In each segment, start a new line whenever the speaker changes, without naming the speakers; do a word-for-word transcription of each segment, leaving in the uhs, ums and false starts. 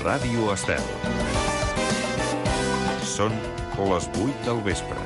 Ràdio Estel. Són les vuit del vespre.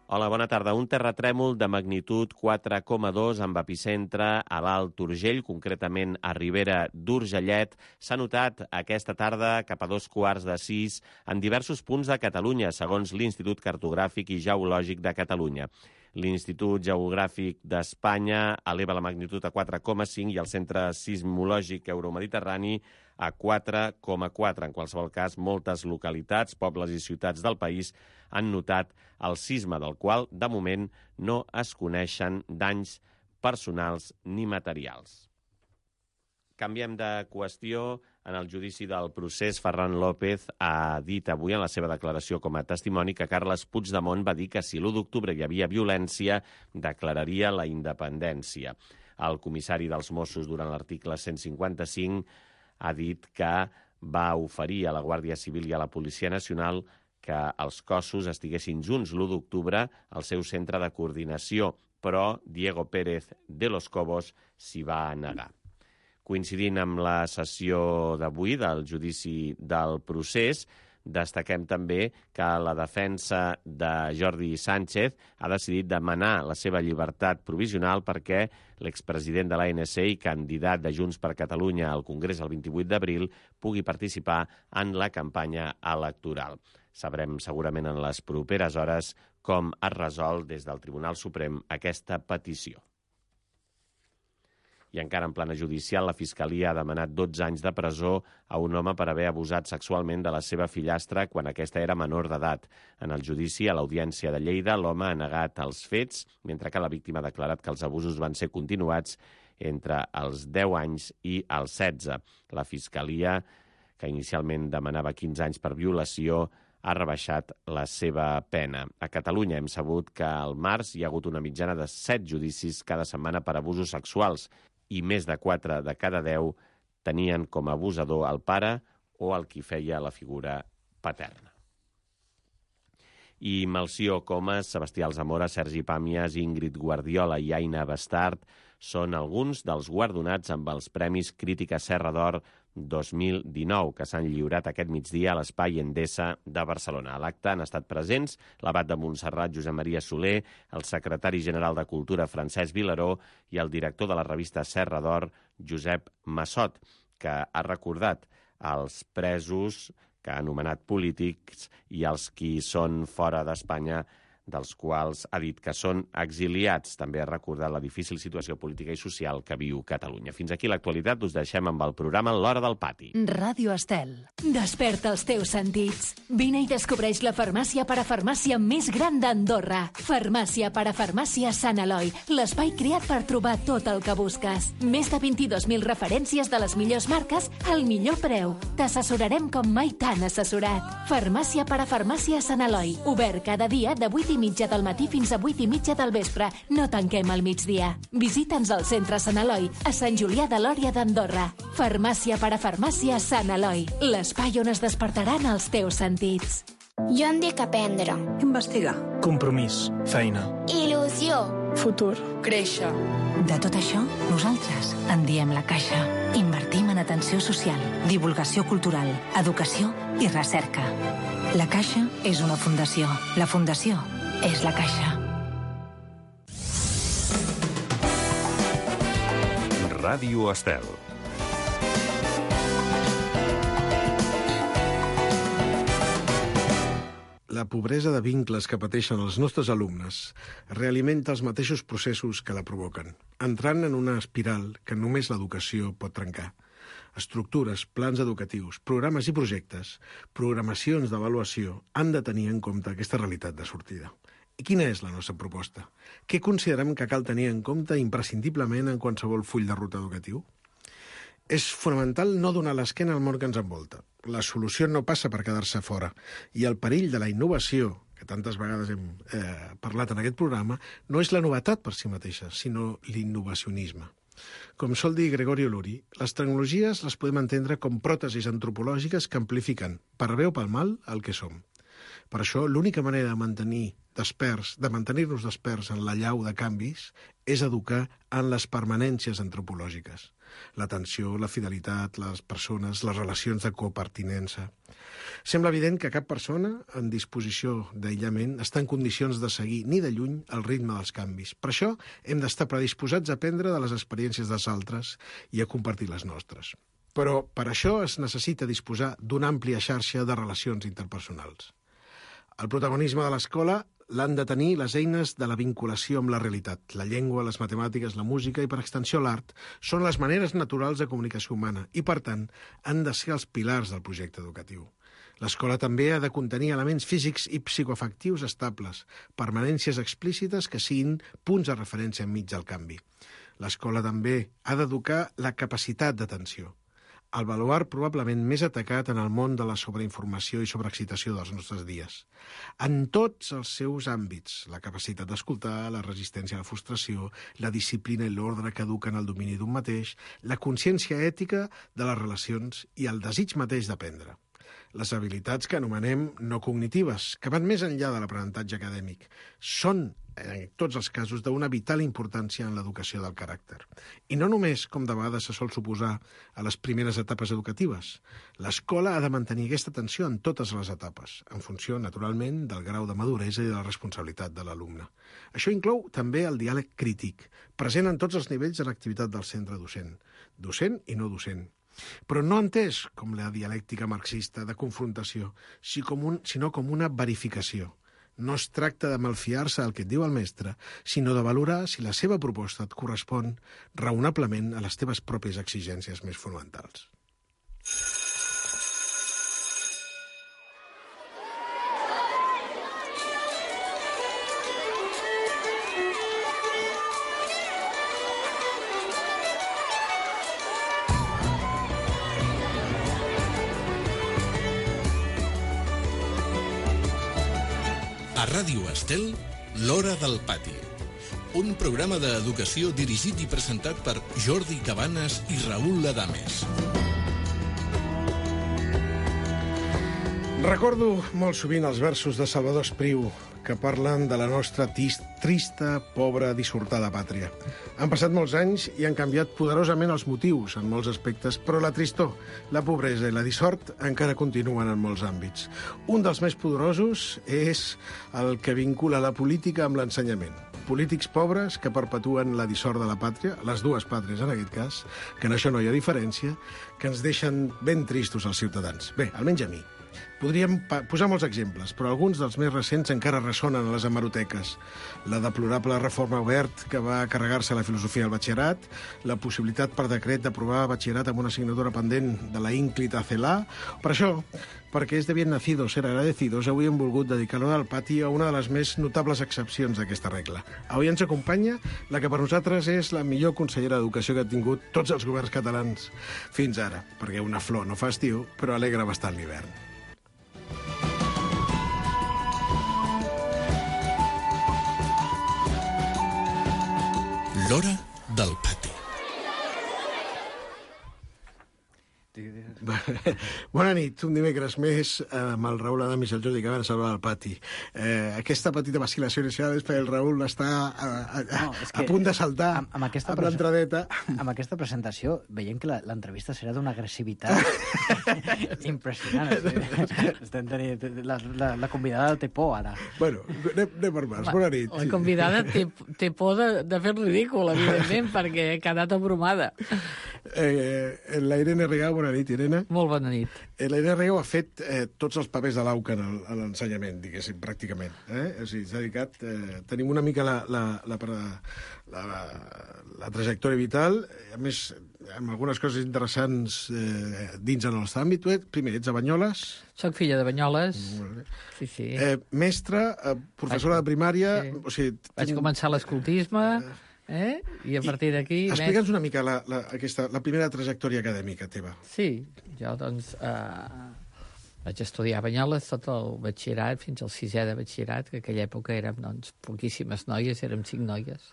Hola, bona tarda. Un terratrèmol de magnitud quatre coma dos amb epicentre a l'Alt Urgell, concretament a Ribera d'Urgellet, s'ha notat aquesta tarda cap a dos quarts de sis en diversos punts de Catalunya, segons l'Institut Cartogràfic i Geològic de Catalunya. L'Institut Geogràfic d'Espanya eleva la magnitud a quatre coma cinc i el Centre Sismològic Euromediterrani a quatre coma quatre. En qualsevol cas, moltes localitats, pobles i ciutats del país han notat el sisme, del qual, de moment, no es coneixen danys personals ni materials. Canviem de qüestió. En el judici del procés, Ferran López ha dit avui en la seva declaració com a testimoni que Carles Puigdemont va dir que si l'u d'octubre hi havia violència, declararia la independència. El comissari dels Mossos, durant l'article cent cinquanta-cinc, ha dit que va oferir a la Guàrdia Civil i a la Policia Nacional que els cossos estiguessin junts l'u d'octubre al seu centre de coordinació, però Diego Pérez de los Cobos s'hi va negar. Coincidint amb la sessió d'avui del judici del procés, destaquem també que la defensa de Jordi Sánchez ha decidit demanar la seva llibertat provisional perquè l'expresident de l'A N C i candidat de Junts per Catalunya al Congrés el vint-i-vuit d'abril pugui participar en la campanya electoral. Sabrem segurament en les properes hores com es resol des del Tribunal Suprem aquesta petició. I encara en plana judicial, la Fiscalia ha demanat dotze anys de presó a un home per haver abusat sexualment de la seva fillastra quan aquesta era menor d'edat. En el judici, a l'Audiència de Lleida, l'home ha negat els fets, mentre que la víctima ha declarat que els abusos van ser continuats entre els deu anys i els setze. La Fiscalia, que inicialment demanava quinze anys per violació, ha rebaixat la seva pena. A Catalunya hem sabut que al març hi ha hagut una mitjana de set judicis cada setmana per abusos sexuals, i més de quatre de cada deu tenien com a abusador el pare o el qui feia la figura paterna. I Melcior Comas, Sebastià Alzamora, Sergi Pàmies, Ingrid Guardiola i Aina Bastard són alguns dels guardonats amb els Premis Crítica Serra d'Or dos mil dinou, que s'han lliurat aquest migdia a l'Espai Endesa de Barcelona. A l'acte han estat presents l'abat de Montserrat, Josep Maria Soler, el secretari general de Cultura, Francesc Vilaró, i el director de la revista Serra d'Or, Josep Massot, que ha recordat els presos que ha anomenat polítics i els qui són fora d'Espanya, dels quals ha dit que són exiliats. També ha recordat la difícil situació política i social que viu Catalunya. Fins aquí l'actualitat. Us deixem amb el programa L'Hora del Pati.
Ràdio Estel. Desperta els teus sentits. Vine i descobreix la farmàcia parafarmàcia més gran d'Andorra. Farmàcia parafarmàcia Sant Eloi. L'espai creat per trobar tot el que busques. Més de vint-i-dos mil referències de les millors marques al millor preu. T'assessorarem com mai t'han assessorat. Farmàcia parafarmàcia Sant Eloi. Obert cada dia de vuit i mitja del matí fins a vuit i mitja del vespre. No tanquem al migdia. Visita'ns al centre Sant Eloi, a Sant Julià de Lòria d'Andorra. Farmàcia parafarmàcia Sant Eloi. L'espai on es despertaran els teus sentits.
Jo em dic aprendre.
Investigar. Compromís. Feina.
Il·lusió.
Futur. Créixer.
De tot això, nosaltres en diem la Caixa. Invertim en atenció social, divulgació cultural, educació i recerca. La Caixa és una fundació. La fundació és la Caixa.
Ràdio Estel.
La pobresa de vincles que pateixen els nostres alumnes realimenta els mateixos processos que la provoquen, entrant en una espiral que només l'educació pot trencar. Estructures, plans educatius, programes i projectes, programacions d'avaluació han de tenir en compte aquesta realitat de sortida. I quina és la nostra proposta? Què considerem que cal tenir en compte imprescindiblement en qualsevol full de ruta educatiu? És fonamental no donar l'esquena al món que ens envolta. La solució no passa per quedar-se fora. I el perill de la innovació, que tantes vegades hem eh, parlat en aquest programa, no és la novetat per si mateixa, sinó l'innovacionisme. Com sol dir Gregorio Luri, les tecnologies les podem entendre com pròtesis antropològiques que amplifiquen, per bé o pel mal, el que som. Per això, l'única manera de mantenir desperts, de mantenir-nos desperts en la llau de canvis és educar en les permanències antropològiques. L'atenció, la fidelitat, les persones, les relacions de copertinença. Sembla evident que cap persona en disposició d'aïllament està en condicions de seguir ni de lluny el ritme dels canvis. Per això hem d'estar predisposats a aprendre de les experiències dels altres i a compartir les nostres. Però per això es necessita disposar d'una àmplia xarxa de relacions interpersonals. El protagonisme de l'escola l'han de tenir les eines de la vinculació amb la realitat. La llengua, les matemàtiques, la música i, per extensió, l'art són les maneres naturals de comunicació humana i, per tant, han de ser els pilars del projecte educatiu. L'escola també ha de contenir elements físics i psicoafectius estables, permanències explícites que siguin punts de referència enmig del canvi. L'escola també ha d'educar la capacitat d'atenció, el baluard probablement més atacat en el món de la sobreinformació i sobreexcitació dels nostres dies. En tots els seus àmbits, la capacitat d'escoltar, la resistència a la frustració, la disciplina i l'ordre que eduquen el domini d'un mateix, la consciència ètica de les relacions i el desig mateix d'aprendre. Les habilitats que anomenem no cognitives, que van més enllà de l'aprenentatge acadèmic, són, en tots els casos, d'una vital importància en l'educació del caràcter. I no només, com de vegades se sol suposar, a les primeres etapes educatives. L'escola ha de mantenir aquesta atenció en totes les etapes, en funció, naturalment, del grau de maduresa i de la responsabilitat de l'alumne. Això inclou també el diàleg crític, present en tots els nivells de l'activitat del centre docent, docent i no docent. Però no entès com la dialèctica marxista de confrontació, sinó com una verificació. No es tracta de malfiar-se al que et diu el mestre, sinó de valorar si la seva proposta et correspon raonablement a les teves pròpies exigències més fonamentals.
A Ràdio Estel, l'Hora del Pati. Un programa d'educació dirigit i presentat per Jordi Cabanes i Raül Adames.
Recordo molt sovint els versos de Salvador Espriu que parlen de la nostra trista, pobra, dissortada pàtria. Han passat molts anys i han canviat poderosament els motius en molts aspectes, però la tristor, la pobresa i la dissort encara continuen en molts àmbits. Un dels més poderosos és el que vincula la política amb l'ensenyament. Polítics pobres que perpetuen la dissort de la pàtria, les dues pàtries en aquest cas, que en això no hi ha diferència, que ens deixen ben tristos els ciutadans. Bé, almenys a mi. Podríem posar molts exemples, però alguns dels més recents encara ressonen a les hemeroteques. La deplorable reforma Obert que va carregar-se la filosofia al batxillerat, la possibilitat per decret d'aprovar batxillerat amb una assignatura pendent de la ínclita CELA. Per això, perquè és de bien nacido ser agradecidos, avui hem volgut dedicar l'Hora del Pati a una de les més notables excepcions d'aquesta regla. Avui ens acompanya la que per nosaltres és la millor consellera d'Educació que han tingut tots els governs catalans fins ara, perquè una flor no fa estiu, però alegra bastant l'hivern.
L'Hora del Pati.
Bona nit, un dimecres més amb el Raül Adames i el Jordi Cabanes a l'Hora del Pati. Eh, aquesta petita vacil·lació inicial és perquè el Raül està a, a, a, no, a punt de saltar amb, amb aquesta a l'entradeta.
Amb aquesta presentació veiem que l'entrevista serà d'una agressivitat impressionant. Estem tenint, la, la, la convidada té por ara.
Bueno, anem, anem per mans. Bona nit.
La convidada té, té por de, de fer ridícul, evidentment, perquè ha quedat abrumada.
Eh, la Irene Rigau, bona nit, Irene.
Molt bona nit.
Eh, la Irene Rigau ha fet eh, tots els papers de l'Auca a l'ensenyament, diguéssim, pràcticament. Eh? O sigui, s'ha dedicat... Eh, tenim una mica la, la, la, la, la, la trajectòria vital, a més, amb algunes coses interessants eh, dins en el nostre àmbit. Primer, ets a Banyoles.
Soc filla de Banyoles. Sí, sí.
Eh, mestra, eh, professora vaig, de primària... Sí. O sigui,
vaig tinc... començar l'escoltisme... Eh? I a partir d'aquí...
Explica'ns més... una mica la, la, aquesta, la primera trajectòria acadèmica teva.
Sí, jo doncs eh, vaig estudiar a Banyoles tot el batxillerat, fins al sisè de batxillerat, que en aquella època érem doncs, poquíssimes noies, érem cinc noies.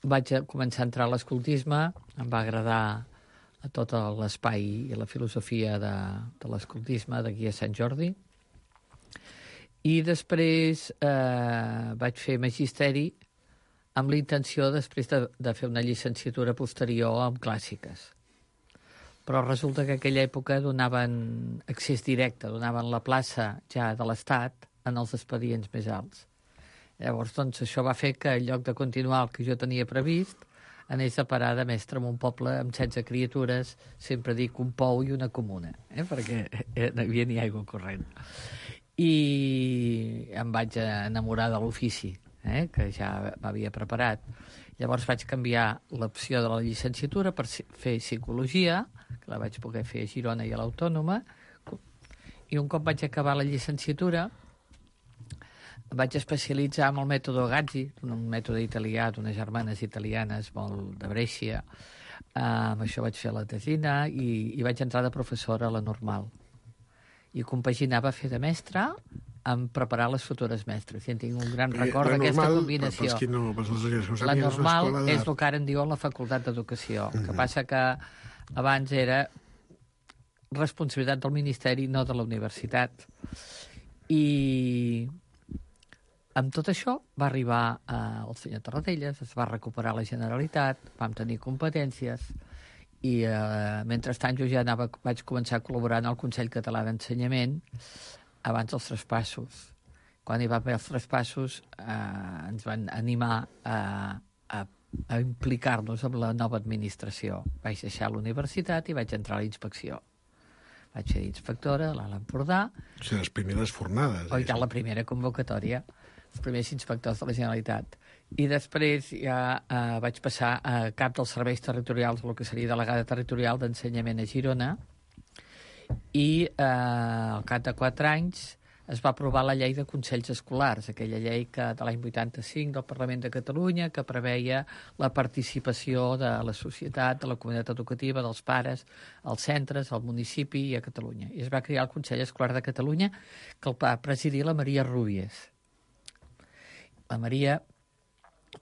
Vaig a començar a entrar a l'escoltisme, em va agradar a tot l'espai i la filosofia de, de l'escoltisme d'aquí a Sant Jordi. I després eh, vaig fer magisteri amb la intenció després de, de fer una llicenciatura posterior en clàssiques. Però resulta que en aquella època donaven accés directe, donaven la plaça ja de l'Estat en els expedients més alts. Llavors, doncs, això va fer que en lloc de continuar el que jo tenia previst, anés a parar de mestre en un poble amb setze criatures, sempre dic un pou i una comuna, eh? Perquè no hi havia ni aigua corrent. I em vaig enamorar de l'ofici, eh? Que ja m'havia preparat. Llavors vaig canviar l'opció de la llicenciatura per fer psicologia, que la vaig poder fer a Girona i a l'Autònoma, i un cop vaig acabar la llicenciatura vaig especialitzar en el mètode Gazzi, un mètode italià d'unes germanes italianes molt de Brescia. Uh, amb això vaig fer la tesina i, i vaig entrar de professora a la Normal. I compaginava fer de mestre amb preparar les futures mestres. I en tinc un gran record d'aquesta combinació.
No,
la Normal és, és el que ara en diuen la Facultat d'Educació. El que passa que abans era responsabilitat del Ministeri, no de la universitat. I amb tot això va arribar eh, el senyor Tarradellas, es va recuperar la Generalitat, vam tenir competències i eh, mentrestant jo ja anava, vaig començar a col·laborar en el Consell Català d'Ensenyament abans dels traspassos. Quan hi va haver els traspassos eh, ens van animar a, a, a implicar-nos amb la nova administració. Vaig deixar la universitat i vaig entrar a la inspecció. Vaig ser inspectora a l'Alt Empordà.
O sigui, les primeres fornades.
O ja la primera convocatòria, els primers inspectors de la Generalitat. I després ja eh, vaig passar a cap dels serveis territorials, el que seria delegada territorial d'ensenyament a Girona, i eh, al cap de quatre anys es va aprovar la llei de consells escolars, aquella llei que de l'any vuitanta-cinc del Parlament de Catalunya que preveia la participació de la societat, de la comunitat educativa, dels pares, als centres, al municipi i a Catalunya. I es va crear el Consell Escolar de Catalunya, que el va presidir la Maria Rúbies. La Maria,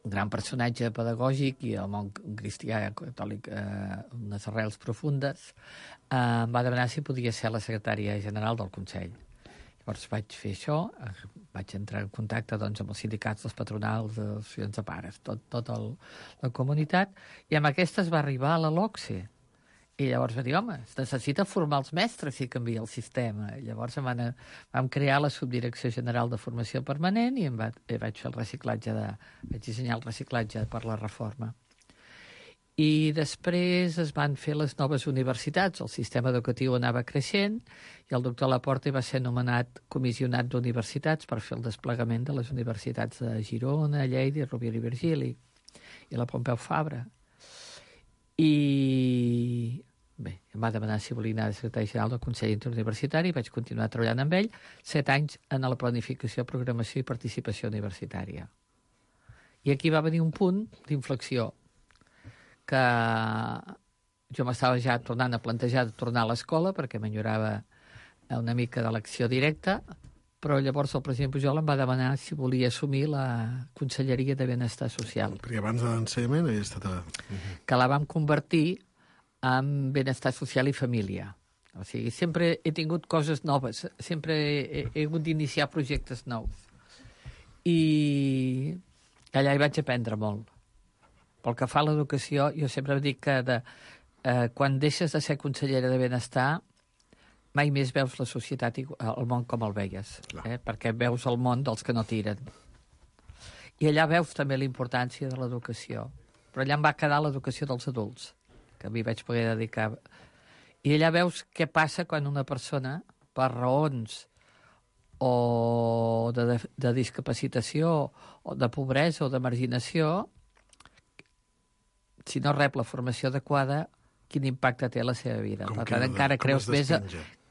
un gran personatge pedagògic i el món cristià catòlic, eh, unes arrels profundes, eh, em va demanar si podia ser la secretària general del Consell. Llavors vaig fer això, vaig entrar en contacte doncs, amb els sindicats, els patronals, les associacions de pares, tot, tot el, la comunitat, i amb aquesta es va arribar a la LOCSE. I llavors va dir, home, es necessita formar els mestres si canvia el sistema. I llavors em van, vam crear la Subdirecció General de Formació Permanent i em va, i vaig fer el reciclatge de, vaig dissenyar el reciclatge per la reforma. I després es van fer les noves universitats, el sistema educatiu anava creixent i el doctor Laporte va ser nomenat comissionat d'universitats per fer el desplegament de les universitats de Girona, Lleida, Rovira i Virgili i la Pompeu Fabra. I bé, em va demanar si volia anar de secretari general del Consell Interuniversitari i vaig continuar treballant amb ell set anys en la planificació, programació i participació universitària. I aquí va venir un punt d'inflexió que jo m'estava ja tornant a plantejar de tornar a l'escola perquè m'enyorava una mica de l'acció directa, però llavors el president Pujol em va demanar si volia assumir la Conselleria de Benestar Social.
Perquè abans de l'ensenyament havia estat... A...
Que la vam convertir en Benestar Social i Família. O sigui, sempre he tingut coses noves, sempre he, he hagut d'iniciar projectes nous. I allà hi vaig aprendre molt. Pel que fa a l'educació, jo sempre dic que de, eh, quan deixes de ser consellera de Benestar mai més veus la societat i el món com el veies, eh? Perquè veus el món dels que no tiren. I allà veus també la importància de l'educació. Però allà em va quedar l'educació dels adults, que a mi vaig poder dedicar. I allà veus què passa quan una persona, per raons o de, de, de discapacitació, o de pobresa o de marginació, si no rep la formació adequada, quin impacte té a la seva vida. Com per tant, encara creus més... A,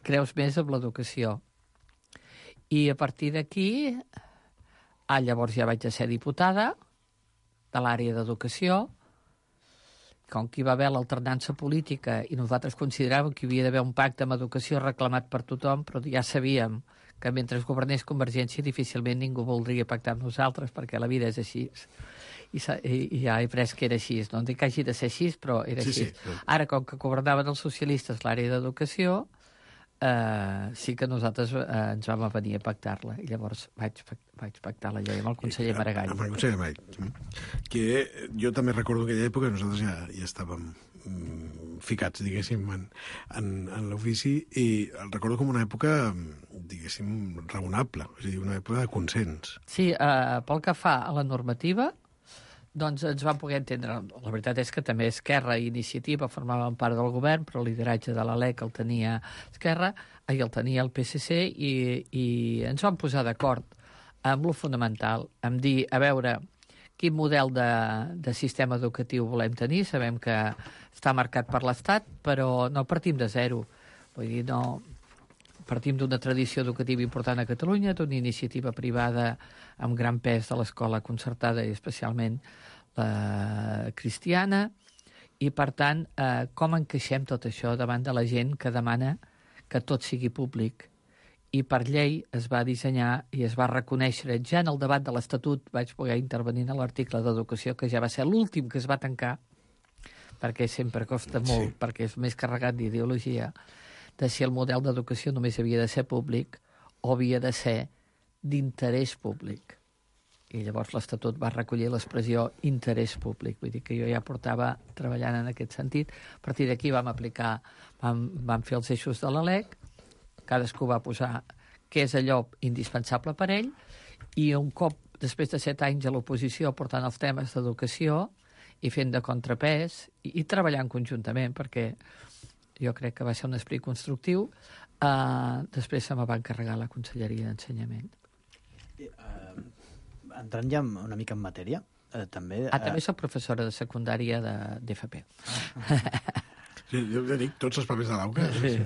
creus més en l'educació. I a partir d'aquí, ah, llavors ja vaig ser diputada de l'àrea d'educació, com que hi va haver l'alternança política i nosaltres consideràvem que hi havia d'haver un pacte amb educació reclamat per tothom, però ja sabíem que mentre governés Convergència difícilment ningú voldria pactar amb nosaltres, perquè la vida és així. I, i, i ja he pres que era així. No dic que hagi de ser així, però era
Sí,
així.
sí.
Ara, com que governaven els socialistes l'àrea d'educació, eh, sí que nosaltres eh, ens vam venir a pactar-la. I llavors vaig, vaig pactar la llei amb el conseller Maragall.
Amb el conseller Maragall. Que jo també recordo aquella època que nosaltres ja, ja estàvem mm, ficats, diguéssim, en, en, en l'ofici, i el recordo com una època, diguéssim, raonable, és a dir, una època de consens.
Sí, eh, pel que fa a la normativa, doncs ens vam poder entendre. La veritat és que també Esquerra i Iniciativa formaven part del govern, però el lideratge de la LEC el tenia Esquerra, i el tenia el P S C, i, i ens vam posar d'acord amb lo fonamental, amb dir, a veure, quin model de, de sistema educatiu volem tenir. Sabem que està marcat per l'Estat, però no partim de zero. Vull dir, no... Partim d'una tradició educativa important a Catalunya, d'una iniciativa privada amb gran pes de l'escola concertada i especialment la cristiana, i per tant, eh, com encaixem tot això davant de la gent que demana que tot sigui públic? I per llei es va dissenyar i es va reconèixer, ja en el debat de l'Estatut vaig poder intervenir en l'article d'Educació, que ja va ser l'últim que es va tancar, perquè sempre costa molt, sí. perquè és més carregat d'ideologia, de si el model d'educació només havia de ser públic o havia de ser d'interès públic. I llavors l'Estatut va recollir l'expressió interès públic. Vull dir que jo ja portava treballant en aquest sentit. A partir d'aquí vam aplicar, vam, vam fer els eixos de la LEC, cadascú va posar què és allò indispensable per ell, i un cop, després de set anys a l'oposició, portant els temes d'educació i fent de contrapès, i, i treballant conjuntament, perquè jo crec que va ser un esperit constructiu. Uh, després se me va encarregar la Conselleria d'Ensenyament.
Uh, entrant ja una mica en matèria, uh, també... Uh...
Ah, també soc professora de secundària d'F P.
Sí, jo ja dic, tots els papers de l'auca.
Sí.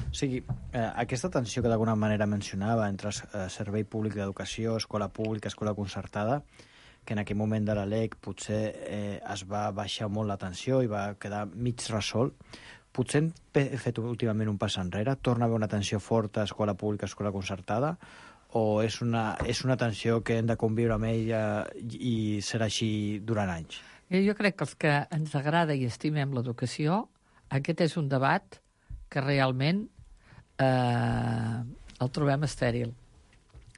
O sigui, uh, aquesta tensió que d'alguna manera mencionava entre uh, servei públic d'educació, escola pública, escola concertada, que en aquell moment de la LEC potser eh, es va baixar molt la tensió i va quedar mig resolt. Potser hem fet últimament un pas enrere? Torna a haver una tensió forta, escola pública, escola concertada? O és una, és una tensió que hem de conviure amb ella i serà així durant anys?
Jo crec que els que ens agrada i estimem l'educació, aquest és un debat que realment eh, el trobem estèril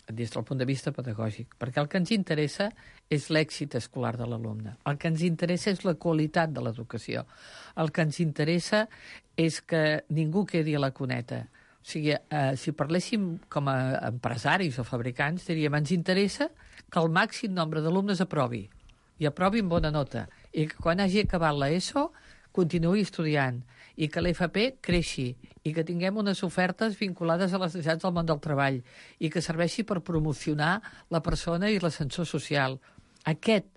des del punt de vista pedagògic, perquè el que ens interessa és l'èxit escolar de l'alumne. El que ens interessa és la qualitat de l'educació. El que ens interessa és que ningú quedi a la cuneta. O sigui, eh, si parléssim com a empresaris o fabricants, diríem, ens interessa que el màxim nombre d'alumnes aprovi, i aprovi amb bona nota, i que quan hagi acabat l'ESO continuï estudiant, i que l'F P creixi, i que tinguem unes ofertes vinculades a les necessitats del món del treball, i que serveixi per promocionar la persona i l'ascensor social. Aquest,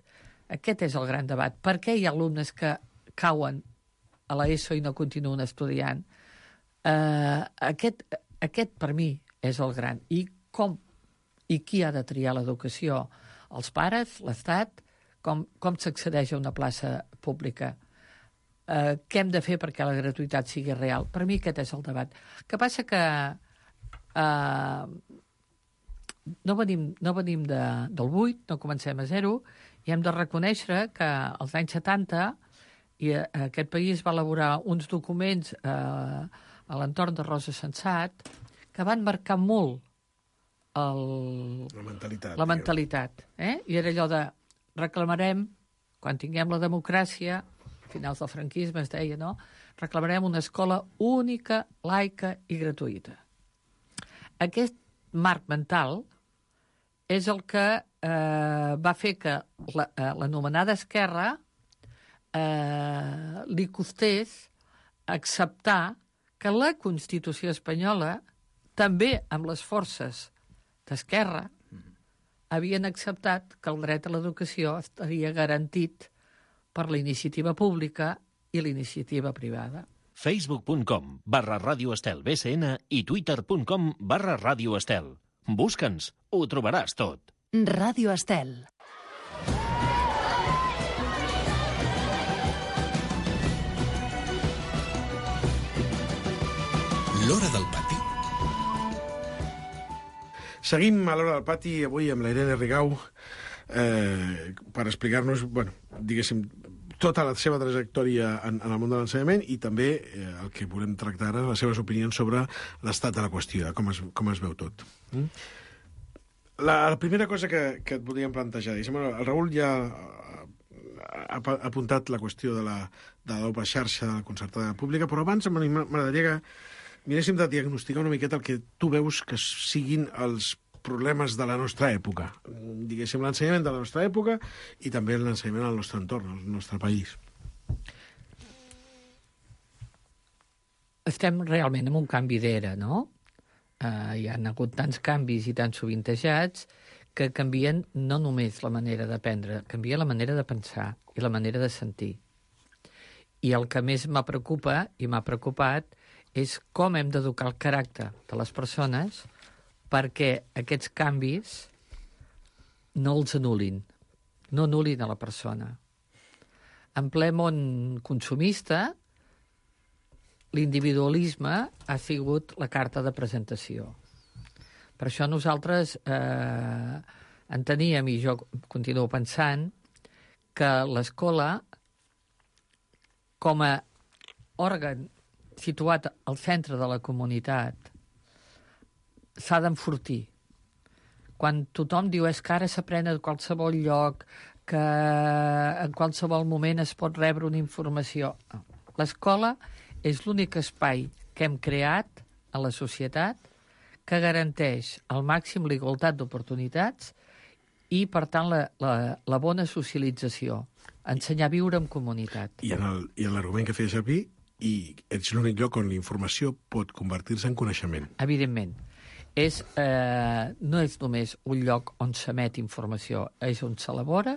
aquest és el gran debat. Per què hi ha alumnes que cauen a l'ESO i no continuen estudiant? Uh, aquest, aquest, per mi, és el gran. I com i qui ha de triar l'educació? Els pares, l'Estat? Com, com s'accedeix a una plaça pública? Uh, què hem de fer perquè la gratuïtat sigui real? Per mi aquest és el debat. El que passa que uh, no venim, no venim de, del buit, no comencem a zero, i hem de reconèixer que als anys setanta i uh, aquest país va elaborar uns documents uh, a l'entorn de Rosa Sensat que van marcar molt el,
la mentalitat.
La mentalitat eh? I era allò de reclamarem, quan tinguem la democràcia, finals del franquisme es deia, no? Reclamarem una escola única, laica i gratuïta. Aquest marc mental és el que eh, va fer que la, eh, l'anomenada esquerra eh, li costés acceptar que la Constitució espanyola, també amb les forces d'esquerra, havien acceptat que el dret a l'educació estaria garantit per la iniciativa pública i la iniciativa privada.
facebook punt com barra Ràdio Estel B C N i twitter punt com barra Ràdio Estel. Busca'ns, ho trobaràs tot.
Ràdio Estel.
L'Hora del Pati
Seguim a l'Hora del Pati, avui amb la Irene Rigau, eh, per explicar-nos, bueno, diguéssim, tota la seva trajectòria en, en el món de l'ensenyament i també eh, el que volem tractar ara, les seves opinions sobre l'estat de la qüestió, com es, com es veu tot. Mm? La, la primera cosa que, que et volíem plantejar, diguéssim, el Raül ja ha, ha apuntat la qüestió de la, de la doble xarxa de la concertada pública, però abans m'agradaria que miréssim de diagnosticar una miqueta el que tu veus que siguin els problemes de la nostra època. Diguéssim, l'ensenyament de la nostra època i també l'ensenyament al nostre entorn, al nostre país.
Estem realment en un canvi d'era, no? Uh, hi ha hagut tants canvis i tan sovintejats que canvien no només la manera d'aprendre, canvia la manera de pensar i la manera de sentir. I el que més m'ha preocupa i m'ha preocupat és com hem d'educar el caràcter de les persones perquè aquests canvis no els anul·lin, no anul·lin a la persona. En ple món consumista, l'individualisme ha sigut la carta de presentació. Per això nosaltres eh, enteníem, i jo continuo pensant, que l'escola, com a òrgan situat al centre de la comunitat, s'ha d'enfortir. Quan tothom diu és que ara s'aprèn a qualsevol lloc, que en qualsevol moment es pot rebre una informació. L'escola és l'únic espai que hem creat a la societat que garanteix al màxim la igualtat d'oportunitats i, per tant, la, la, la bona socialització, ensenyar a viure en comunitat.
I en l'argument que feia servir, i és l'únic lloc on la informació pot convertir-se en coneixement.
Evidentment. És, eh, no és només un lloc on s'emet informació, és on s'elabora,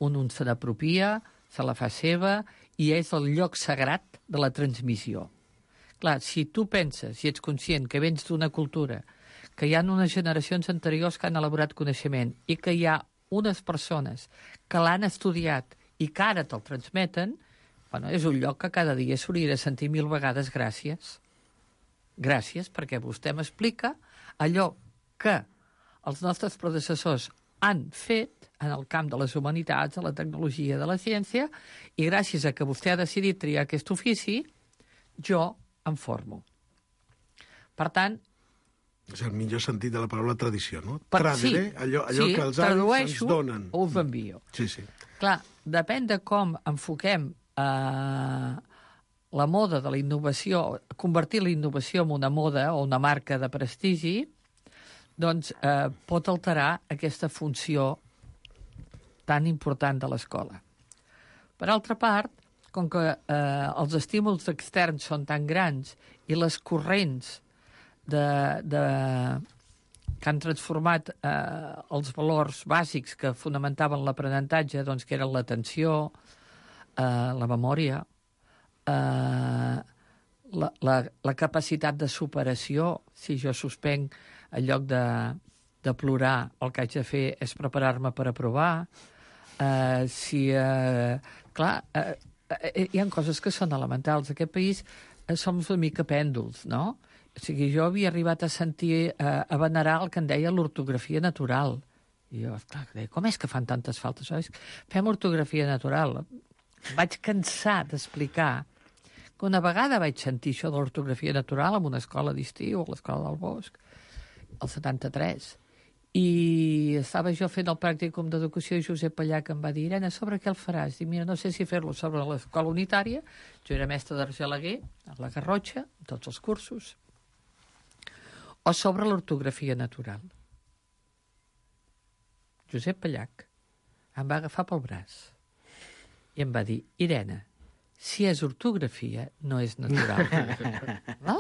on un se n'apropia, se la fa seva, i és el lloc sagrat de la transmissió. Clar, si tu penses, si ets conscient que vens d'una cultura, que hi ha unes generacions anteriors que han elaborat coneixement i que hi ha unes persones que l'han estudiat i que ara te'l transmeten, bueno, és un lloc que cada dia s'hauria de sentir mil vegades gràcies. Gràcies perquè vostè m'explica allò que els nostres predecessors han fet en el camp de les humanitats, de la tecnologia, de la ciència, i gràcies a que vostè ha decidit triar aquest ofici, jo em formo. Per tant...
És el millor sentit de la paraula tradició, no?
Per,
Traderé,
sí,
allò, allò
sí,
que els avis ens donen.
O us envio.
Sí, sí.
Clar, depèn de com enfoquem eh, la moda de la innovació, convertir la innovació en una moda o una marca de prestigi, doncs eh, pot alterar aquesta funció tan important de l'escola. Per altra part, com que eh, els estímuls externs són tan grans i les corrents de, de, que han transformat eh, els valors bàsics que fonamentaven l'aprenentatge, doncs, que eren l'atenció, eh, la memòria, eh, la, la, la capacitat de superació. Si jo suspenc, en lloc de, de plorar, el que haig de fer és preparar-me per aprovar. Eh, si, eh, clar, eh, eh, hi ha coses que són elementals. En aquest país eh, som una mica pèndols, no? O sigui, jo havia arribat a sentir, eh, a venerar el que en deia l'ortografia natural. I jo, esclar, deia, com és que fan tantes faltes? Saps? Fem ortografia natural. Vaig cansar d'explicar que una vegada vaig sentir això de l'ortografia natural en una escola d'estiu, a l'escola del Bosc, el setanta-tres. I estava jo fent el pràcticum d'educació i Josep Pallach em va dir, Irene, sobre què el faràs? Dic, mira, no sé si fer-lo sobre l'escola unitària, jo era mestre d'Argelaguer, a la Garrotxa, tots els cursos, o sobre l'ortografia natural. Josep Pallach em va agafar pel braç i em va dir, Irene, si és ortografia, no és natural. No?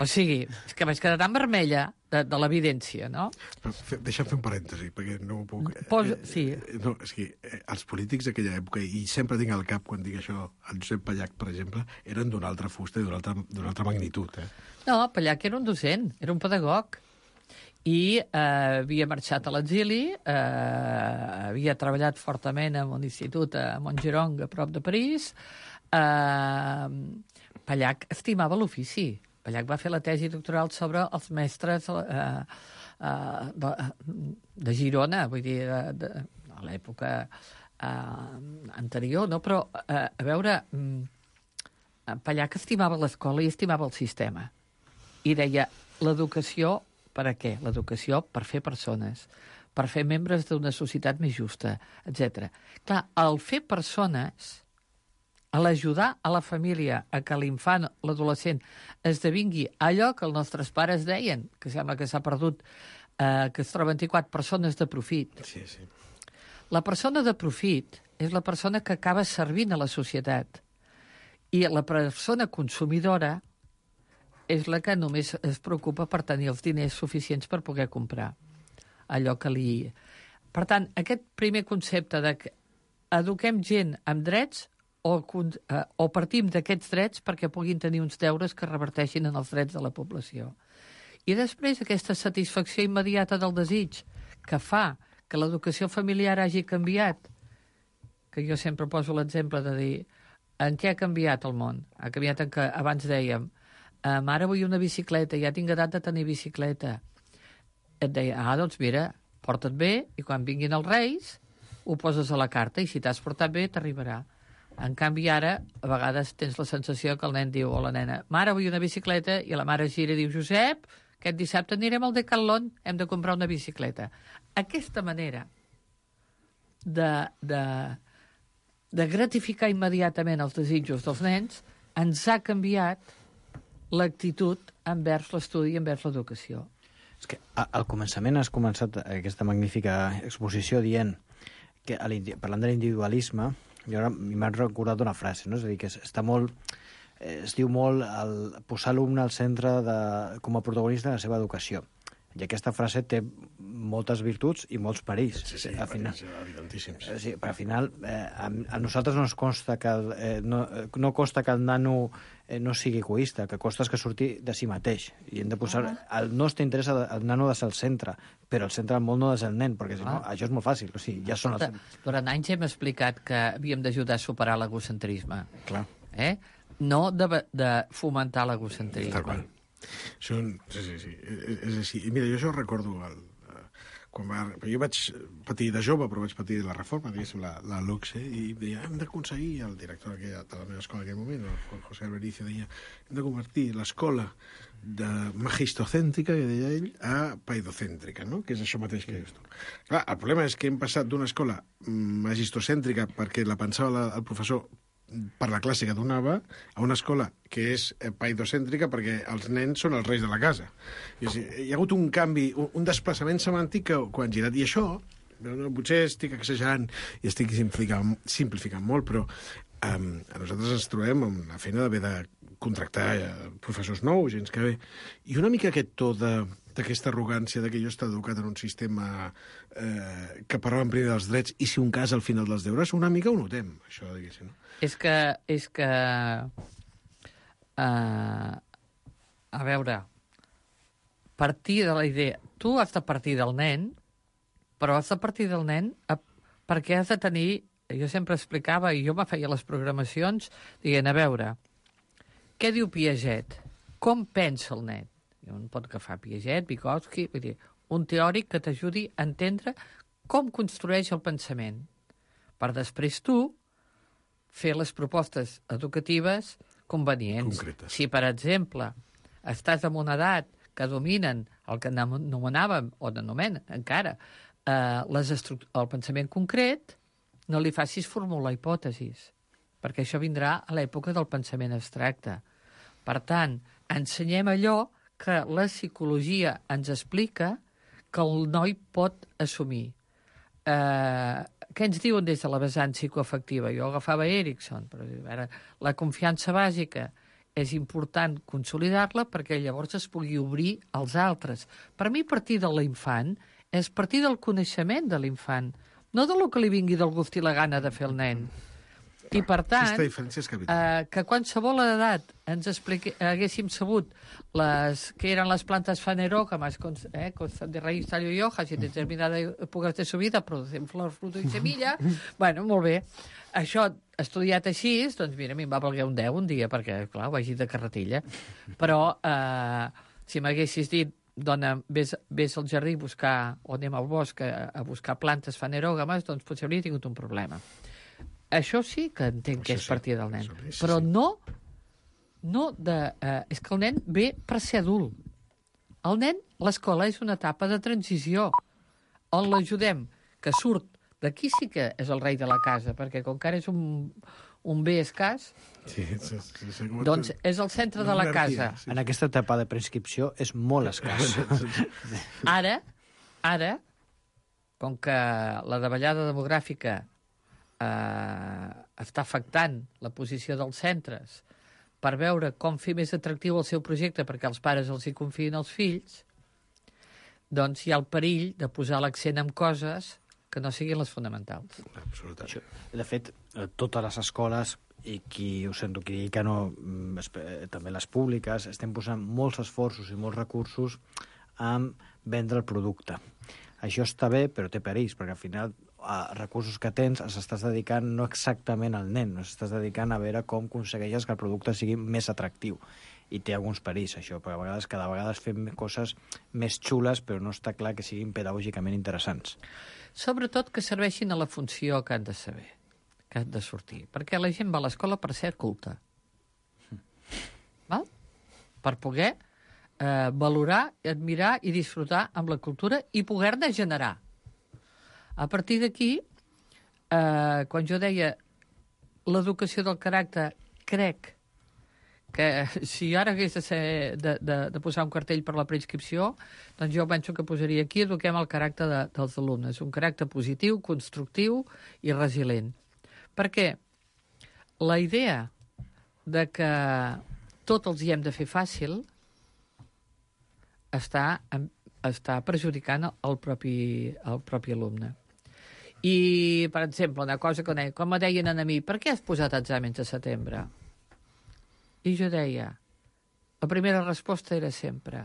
O sigui, és que vaig quedar tan vermella de, de l'evidència, no?
Deixa'm fer un parèntesi, perquè no ho puc...
Posa, sí.
No, és que els polítics d'aquella època, i sempre tinc al cap quan dic això, el Josep Pallach, per exemple, eren d'una altra fusta i d'una altra, d'una altra magnitud. Eh?
No, Pallach era un docent, era un pedagog, i eh, havia marxat a l'exili, eh, havia treballat fortament en un institut a Montgeron, a prop de París. Eh, Pallach estimava l'ofici. Pallach va fer la tesi doctoral sobre els mestres, eh, uh, de, de Girona, vull dir, de, de, de l'època uh, anterior, no? Però, uh, a veure, um, Pallach estimava l'escola i estimava el sistema. I deia, l'educació, per a què? L'educació per fer persones, per fer membres d'una societat més justa, etcètera. Clar, el fer persones, a l'ajudar a la família a que l'infant, l'adolescent, esdevingui allò que els nostres pares deien, que sembla que s'ha perdut, eh, que es troben vint-i-quatre persones de profit.
Sí, sí.
La persona de profit és la persona que acaba servint a la societat. I la persona consumidora és la que només es preocupa per tenir els diners suficients per poder comprar allò que li... Per tant, aquest primer concepte de que eduquem gent amb drets o, eh, o partim d'aquests drets perquè puguin tenir uns deures que reverteixin en els drets de la població. I després aquesta satisfacció immediata del desig que fa que l'educació familiar hagi canviat, que jo sempre poso l'exemple de dir en què ha canviat el món? Ha canviat en què abans dèiem ara vull una bicicleta, ja tinc edat de tenir bicicleta. Et deia, ah, doncs mira, porta't bé i quan vinguin els Reis ho poses a la carta i si t'has portat bé t'arribarà. En canvi ara, a vegades tens la sensació que el nen diu o la nena, mare, vull una bicicleta, i la mare gira i diu, Josep, aquest dissabte anirem al Decathlon, hem de comprar una bicicleta. Aquesta manera de, de, de gratificar immediatament els desitjos dels nens ens ha canviat l'actitud envers l'estudi i envers l'educació.
És que al començament has començat aquesta magnífica exposició dient que parlant de l'individualisme, jo ara m'ha recordat una frase, no? És a dir, que està molt, es diu molt el posar l'alumne al centre de, com a protagonista de la seva educació. I aquesta frase té moltes virtuts i molts perills.
Sí, sí,
al final,
evidentíssims.
Sí, però al final eh, a, a nosaltres no ens consta que el, eh, no, no costa que el nano eh, no sigui egoista, que costa és que surti de si mateix. I hem de posar... El nostre interès, el nano ha de ser el centre, però el centre del món no ha de ser el nen, perquè si no, això és molt fàcil. O sigui, ja són els...
Durant anys hem explicat que havíem d'ajudar a superar l'egocentrisme.
Clar.
Eh? No de, de fomentar l'egocentrisme.
Tal qual. Són, sí, sí, sí, és així. I mira, jo això recordo el, quan va, jo vaig patir de jove, però vaig patir la reforma, diguéssim, la, la LOCSE, i deia, hem d'aconseguir, el director de la meva escola en aquell moment, el José Albericio, deia, hem de convertir l'escola de magistocèntrica, que deia ell, a paidocèntrica, no? Que és això mateix que dius tu. Clar, el problema és que hem passat d'una escola magistocèntrica perquè la pensava la, el professor per la classe que donava, a una escola que és paidocèntrica perquè els nens són els reis de la casa. I, o sigui, hi ha hagut un canvi, un desplaçament semàntic que, que han girat. I això, potser estic exagerant i estic simplificant, simplificant molt, però um, a nosaltres ens trobem amb la feina d'haver de contractar professors nous, gens que bé. I una mica aquest to de d'aquesta arrogància de que jo he estat educat en un sistema eh, que parlava primer dels drets i si un cas al final dels deures, una mica ho notem, això, diguéssim. No?
És que... És que uh, a veure, partir de la idea... Tu has de partir del nen, però has de partir del nen a, perquè has de tenir... Jo sempre explicava, i jo me feia les programacions, dient, a veure, què diu Piaget? Com pensa el nen? Un pot agafar Piaget, Vygotsky, vull dir, un teòric que t'ajudi a entendre com construeix el pensament, per després tu fer les propostes educatives convenients.
Concretes.
Si, per exemple, estàs en una edat que dominen el que anomenàvem, o anomenen encara, eh, les el pensament concret, no li facis formular hipòtesis, perquè això vindrà a l'època del pensament abstracte. Per tant, ensenyem allò que la psicologia ens explica que el noi pot assumir. Eh, què ens diuen des de la vessant psicoafectiva? Jo agafava Erickson, però ara, la confiança bàsica és important consolidar-la perquè llavors es pugui obrir als altres. Per mi, partir de l'infant és partir del coneixement de l'infant, no de lo que li vingui del gust i la gana de fer el nen. I, per tant, eh, que qualsevol edat ens expliqui, haguéssim sabut les, que eren les plantes fanerógamas, eh, de raíz, tallo y hojas, y en determinada època de su vida producen flor, fruto i semilla. Bueno, molt bé. Això, estudiat així, doncs mira, a mi em va valer un deu un dia, perquè, clar, ho vaig dir de carretilla. Però, eh, si m'haguessis dit dona, ves, ves al jardí a buscar, o anem al bosc a, a buscar plantes fanerògames, doncs potser hauria tingut un problema. Això sí que entenc que és partir del nen. Sí, sí, però no, no de... Eh, és que el nen ve per ser adult. El nen, l'escola és una etapa de transició on l'ajudem, que surt d'aquí sí que és el rei de la casa, perquè com que ara és un, un bé escàs, sí, sí, sí, sí, doncs és el centre de la casa.
Sí. En aquesta etapa de prescripció és molt escàs.
Ara, ara, com que la davallada demogràfica eh, està afectant la posició dels centres per veure com fer més atractiu el seu projecte perquè els pares els hi confien els fills, doncs hi ha el perill de posar l'accent en coses que no siguin les fonamentals.
Absolutament. De fet, totes les escoles, i qui ho sento, qui que no, també les públiques, estem posant molts esforços i molts recursos en vendre el producte. Això està bé, però té perills, perquè al final els recursos que tens els estàs dedicant no exactament al nen, no estàs dedicant a veure com aconsegueixes que el producte sigui més atractiu. I té alguns perills, això, perquè a vegades, cada vegada fem coses més xules, però no està clar que siguin pedagògicament interessants.
Sobretot que serveixin a la funció que han de saber, que han de sortir. Perquè la gent va a l'escola per ser culta. Val? Per poder eh, valorar, admirar i disfrutar amb la cultura i poder-ne generar. A partir d'aquí, eh, quan jo deia l'educació del caràcter, crec que si ara hagués de, ser, de, de, de posar un cartell per la preinscripció, doncs jo penso que posaria aquí eduquem el caràcter de, dels alumnes, un caràcter positiu, constructiu i resilient. Perquè la idea de que tot els hi hem de fer fàcil està, està perjudicant el propi, el propi alumne. I, per exemple, una cosa que deia, com me deien a mi, per què has posat exàmens a setembre? I jo deia, la primera resposta era sempre,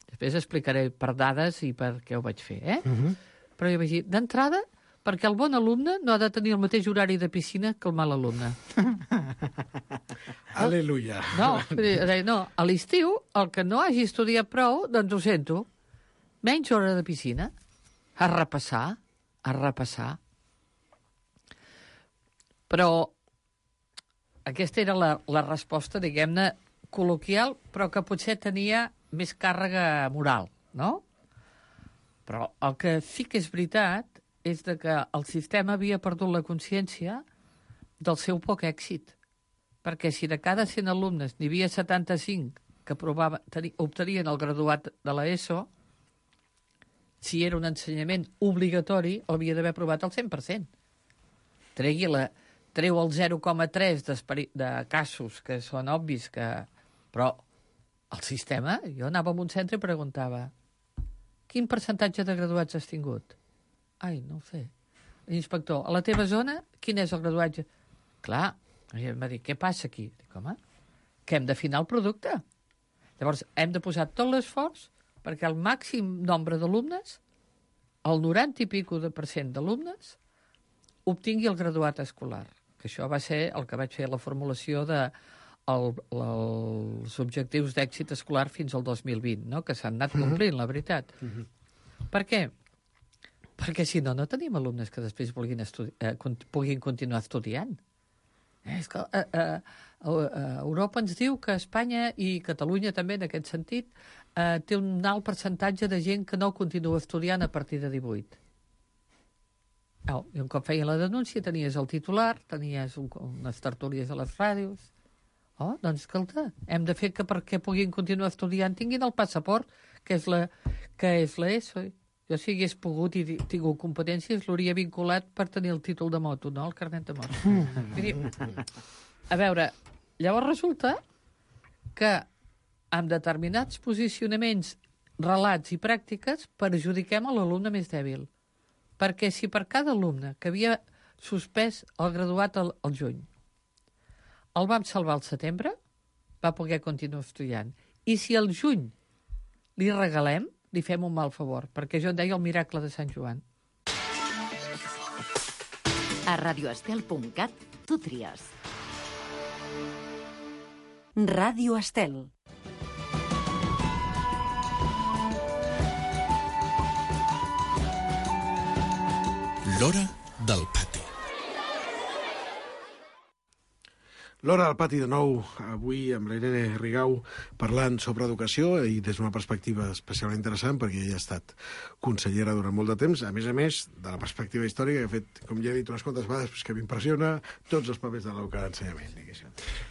després explicaré per dades i per què ho vaig fer, eh? Uh-huh. Però jo vaig dir, d'entrada, perquè el bon alumne no ha de tenir el mateix horari de piscina que el mal alumne.
Aleluia.
No, deia, no, a l'estiu, el que no hagi estudiat prou, doncs ho sento, menys hora de piscina, a repassar, a repassar. Però aquesta era la, la resposta, diguem-ne, col·loquial, però que potser tenia més càrrega moral, no? Però el que sí que és veritat és de que el sistema havia perdut la consciència del seu poc èxit. Perquè si de cada cent alumnes n'hi havia setanta-cinc que provava, teni, obtenien el graduat de l'ESO, si era un ensenyament obligatori, l'havia d'haver aprovat al cent per cent. Tregui la... treu el zero coma tres de casos que són obvis que... Però el sistema, jo anava a un centre i preguntava quin percentatge de graduats has tingut? Ai, no ho sé. L'inspector, a la teva zona, quin és el graduatge? Clar, em va dir, què passa aquí? Dic, home, que hem d'afinar el producte. Llavors, hem de posar tot l'esforç perquè el màxim nombre d'alumnes, el noranta i pico de per cent d'alumnes, obtingui el graduat escolar. Que això va ser el que vaig fer la formulació de el, els objectius d'èxit escolar fins al dos mil vint, no? Que s'han anat complint, la veritat. Uh-huh. Per què? Perquè si no, no tenim alumnes que després vulguin estudi- eh, puguin continuar estudiant. Eh, és que eh, eh, Europa ens diu que Espanya i Catalunya també, en aquest sentit, eh, té un alt percentatge de gent que no continua estudiant a partir de divuit. Oh, I un cop feien la denúncia tenies el titular, tenies un, unes tertúlies a les ràdios. Oh, doncs, escolta, hem de fer que perquè puguin continuar estudiant tinguin el passaport, que és la, que és la ESO. Jo, si hagués pogut i tingut competències, l'hauria vinculat per tenir el títol de moto, no el carnet de moto. Vull dir, a veure, llavors resulta que amb determinats posicionaments, relats i pràctiques perjudiquem a l'alumne més dèbil. Perquè si per cada alumne que havia suspès el graduat al, al juny el vam salvar al setembre, va poder continuar estudiant. I si al juny li regalem, li fem un mal favor, perquè jo en deia el miracle de Sant Joan.
A radioestel punt cat tu tries. Ràdio Estel.
L'Hora del Pati.
L'Hora del Pati de nou, avui amb la Irene Rigau parlant sobre educació i des d'una perspectiva especialment interessant perquè ella ha estat consellera durant molt de temps, a més a més de la perspectiva històrica que ha fet, com ja he dit unes quantes vegades, que m'impressiona tots els papers de l'Auca d'ensenyament.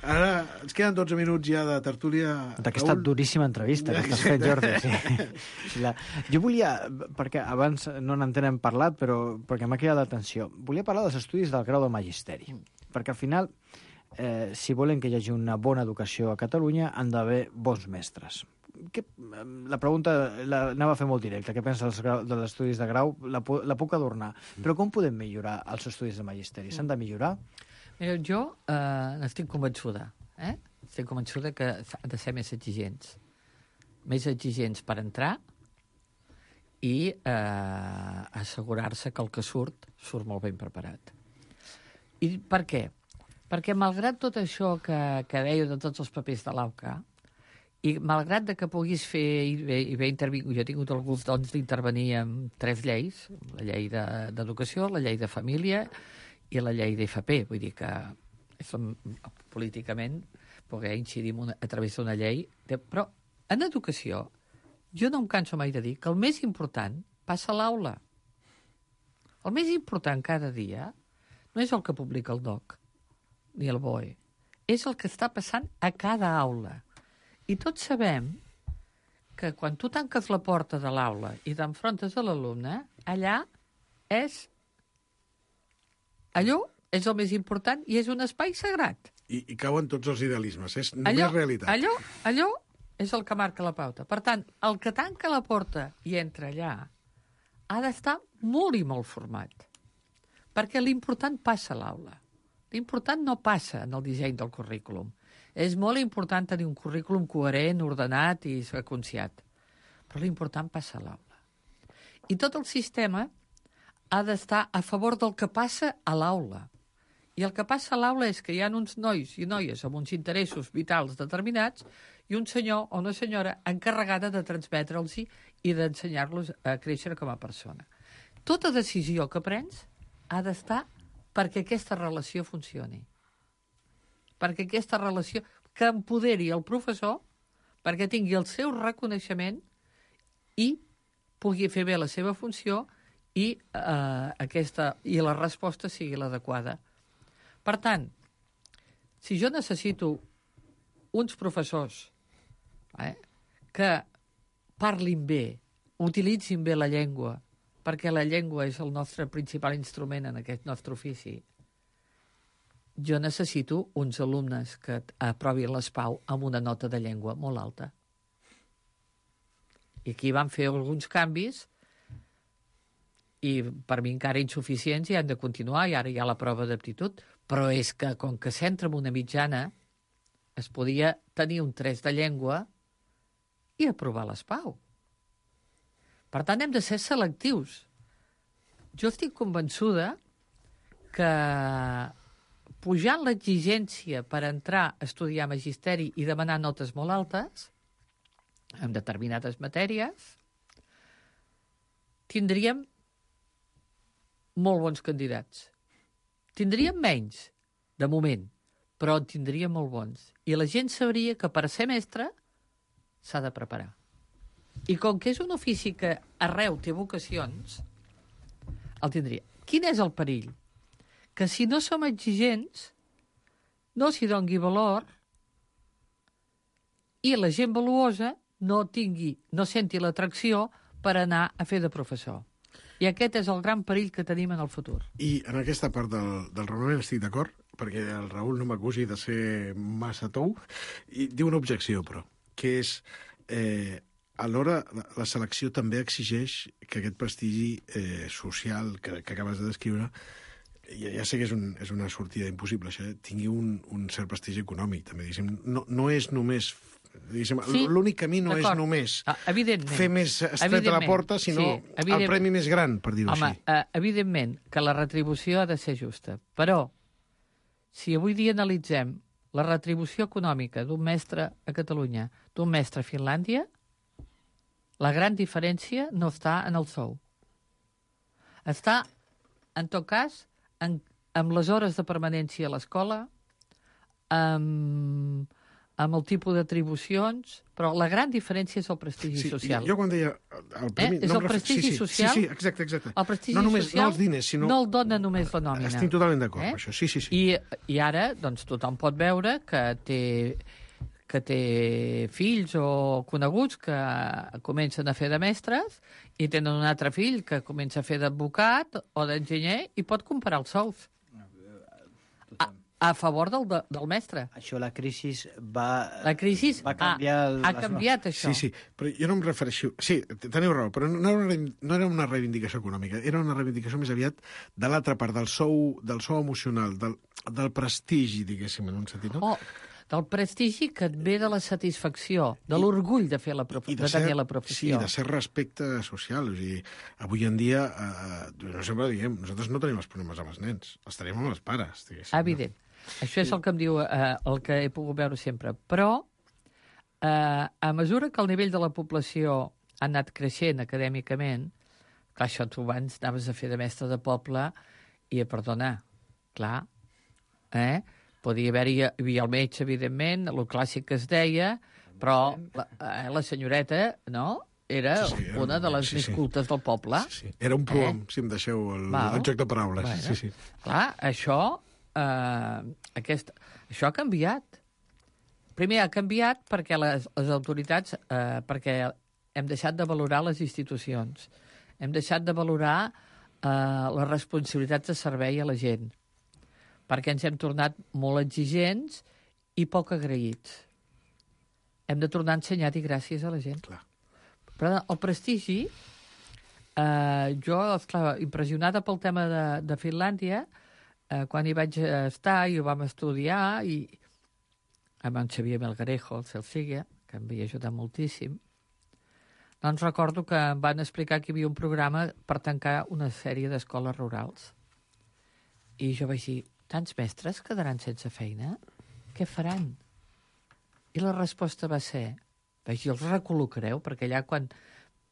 Ara ens queden dotze minuts ja de tertúlia.
D'aquesta duríssima entrevista que estàs fent, Jordi. Sí. La... Jo volia, perquè abans no n'entenen parlat, però perquè m'ha cridat l'atenció, volia parlar dels estudis del grau de magisteri, perquè al final Eh, si volen que hi hagi una bona educació a Catalunya, han d'haver bons mestres. Que, la pregunta l'anava a fer molt directa. Què pensa dels estudis de grau? La, la puc adornar. Però com podem millorar els estudis de magisteri? S'han de millorar?
Mira, jo eh, estic convençuda. Eh? Estic convençuda que han de ser més exigents. Més exigents per entrar i eh, assegurar-se que el que surt, surt molt ben preparat. I per què? Perquè malgrat tot això que, que dèieu de tots els papers de l'Auca, i malgrat de que puguis fer i bé, i bé intervingut, jo he tingut el gust doncs, d'intervenir en tres lleis, la llei d'educació, de, la llei de família i la llei d'F P, vull dir que som, políticament poder incidir una, a través d'una llei, de, però en educació jo no em canso mai de dir que el més important passa a l'aula. El més important cada dia no és el que publica el D O C, ni el B O E. És el que està passant a cada aula. I tots sabem que quan tu tanques la porta de l'aula i t'enfrontes a l'alumne, allà és... Allò és el més important i és un espai sagrat.
I, i cauen tots els idealismes. És només
allò,
realitat.
Allò, allò és el que marca la pauta. Per tant, el que tanca la porta i entra allà ha d'estar molt i molt format. Perquè l'important passa a l'aula. L'important no passa en el disseny del currículum. És molt important tenir un currículum coherent, ordenat i seqüenciat. Però l'important passa a l'aula. I tot el sistema ha d'estar a favor del que passa a l'aula. I el que passa a l'aula és que hi ha uns nois i noies amb uns interessos vitals determinats i un senyor o una senyora encarregada de transmetre'ls i d'ensenyar-los a créixer com a persona. Tota decisió que prens ha d'estar perquè aquesta relació funcioni. Perquè aquesta relació que empoderi el professor perquè tingui el seu reconeixement i pugui fer bé la seva funció i, eh, aquesta, i la resposta sigui l'adequada. Per tant, si jo necessito uns professors eh, que parlin bé, utilitzin bé la llengua, perquè la llengua és el nostre principal instrument en aquest nostre ofici, jo necessito uns alumnes que aprovin l'ESPAU amb una nota de llengua molt alta. I aquí van fer alguns canvis i per mi encara insuficients i han de continuar, i ara hi ha la prova d'aptitud, però és que com que s'entra en una mitjana es podia tenir un tres de llengua i aprovar l'ESPAU. Per tant, hem de ser selectius. Jo estic convençuda que pujant l'exigència per entrar a estudiar magisteri i demanar notes molt altes en determinades matèries, tindríem molt bons candidats. Tindríem menys, de moment, però en tindríem molt bons. I la gent sabria que per ser mestre s'ha de preparar. I com que és un ofici que arreu té vocacions, el tindria. Quin és el perill? Que si no som exigents, no s'hi doni valor i la gent valuosa no tingui, no senti l'atracció per anar a fer de professor. I aquest és el gran perill que tenim en el futur.
I en aquesta part del, del raonament estic d'acord, perquè el Raül no m'acusi de ser massa tou, i diu una objecció, però, que és... Eh, alhora, la selecció també exigeix que aquest prestigi eh, social que, que acabes de descriure, ja, ja sé que és, un, és una sortida impossible, això, eh, tingui un, un cert prestigi econòmic, també, diguéssim. No, no és només... Sí, l'únic camí no és només
ah,
fer més estreta la porta, sinó sí, el premi més gran, per dir-ho així.
Home, eh, evidentment que la retribució ha de ser justa, però si avui dia analitzem la retribució econòmica d'un mestre a Catalunya, d'un mestre a Finlàndia, la gran diferència no està en el sou. Està en tot cas, en, amb les hores de permanència a l'escola, amb, amb el tipus d'atribucions, però la gran diferència és el prestigi
sí,
social.
Jo quan deia el premi...
Eh? És
no
el prestigi
sí, sí,
social?
Sí, sí, exacte, exacte.
El prestigi
no només,
social
no els diners, sinó...
no el dona només la nòmina.
Estic totalment d'acord
eh?
amb això, sí, sí, sí.
I, I ara, doncs, tothom pot veure que té, que té fills o coneguts que comencen a fer de mestres i tenen un altre fill que comença a fer d'advocat o d'enginyer i pot comparar els sous. A, a favor del, del mestre.
Això, la crisi va...
La crisi
va canviar
ha,
el,
ha canviat això.
Sí, sí, però jo no em refereixo... Sí, teniu raó, però no era, una, no era una reivindicació econòmica, era una reivindicació més aviat de l'altra part, del sou, del sou emocional, del, del prestigi, diguéssim, en un sentit, no?
Oh, del prestigi que et ve de la satisfacció, de l'orgull de fer la prof... de, de
ser,
tenir la professió.
Sí, de ser respecte social. O sigui, avui en dia, eh, no sempre diem, nosaltres no tenim els problemes amb els nens, els tenim amb els pares, diguéssim.
Evident. No? Això és el que em diu, eh, el que he pogut veure sempre. Però, eh, a mesura que el nivell de la població ha anat creixent acadèmicament, clar, això tu abans anaves a fer de mestre de poble i a perdonar, clar, eh? Podia haver-hi hi havia el metge, evidentment, el clàssic que es deia, però la, eh, la senyoreta, no?, era, sí, sí, era una de les sí, més sí. cultes del poble.
Sí, sí. Era un proom, eh? si em deixeu el, el joc de paraules. Bueno, sí, sí.
Clar, això, eh, aquest, això ha canviat. Primer ha canviat perquè les, les autoritats, eh, perquè hem deixat de valorar les institucions, hem deixat de valorar eh, les responsabilitats de servei a la gent, perquè ens hem tornat molt exigents i poc agraïts. Hem de tornar a ensenyar a dir gràcies a la gent.
Clar.
Però el prestigi, eh, jo, esclar, impressionada pel tema de, de Finlàndia, eh, quan hi vaig estar i ho vam estudiar, i amb en Xavier Melgarejo, el Celsiga, que em havia ajudat moltíssim, doncs recordo que em van explicar que hi havia un programa per tancar una sèrie d'escoles rurals. I jo vaig dir, tants mestres quedaran sense feina? Què faran? I la resposta va ser, vaig dir, els recol·locareu, perquè allà quan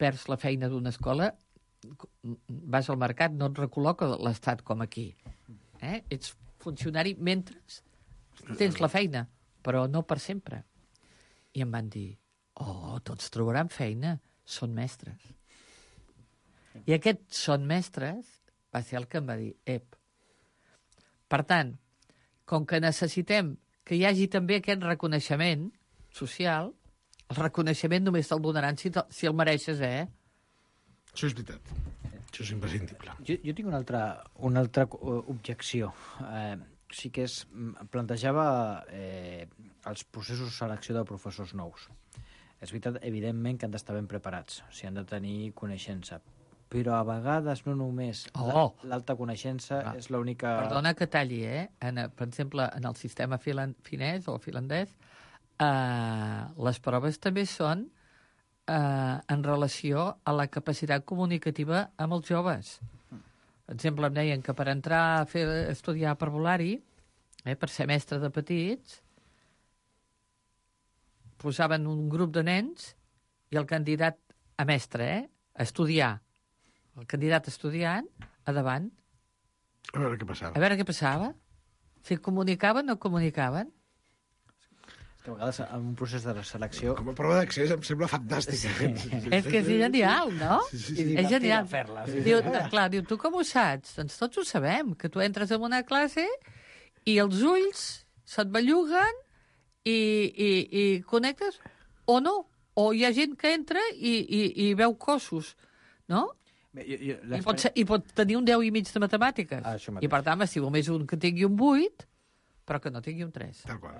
perds la feina d'una escola, vas al mercat, no et recol·loca l'Estat com aquí. Eh? Ets funcionari mentre tens la feina, però no per sempre. I em van dir, oh, tots trobaran feina, són mestres. I aquests són mestres va ser el que em va dir, ep. Per tant, com que necessitem que hi hagi també aquest reconeixement social, el reconeixement només te'l donaran si, te, si el mereixes, eh?
Això és veritat. Això és imprescindible.
Jo, jo tinc una altra, una altra objecció. Eh, sí que és... Plantejava eh, els processos de selecció de professors nous. És veritat, evidentment, que han d'estar ben preparats, o sigui, han de tenir coneixença. Però a vegades no només
oh.
l'alta coneixença ah. és l'única...
Perdona que talli, eh? En, per exemple, en el sistema filan, finès o finlandès, eh, les proves també són eh, en relació a la capacitat comunicativa amb els joves. Per exemple, em deien que per entrar a fer, estudiar parvulari, eh, per ser mestre de petits, posaven un grup de nens i el candidat a mestre, eh, a estudiar, el candidat estudiant, a davant.
A veure què passava.
A veure què passava. Si comunicaven o no comunicaven.
És que a vegades en un procés de selecció...
Com a prova d'accés em sembla fantàstic. Sí.
És que és genial, no?
Sí, sí, sí.
És genial.
Fer-la. Sí,
diu, clar, diu, tu com ho saps? Doncs tots ho sabem, que tu entres en una classe i els ulls se't belluguen i, i, i connectes o no. O hi ha gent que entra i, i, i veu cossos, no?
Bé, jo, jo,
I, pot ser, I pot tenir un deu i mig de matemàtiques.
Ah,
I per tant, si només un que tingui un vuit, però que no tingui un tres.
Tal qual.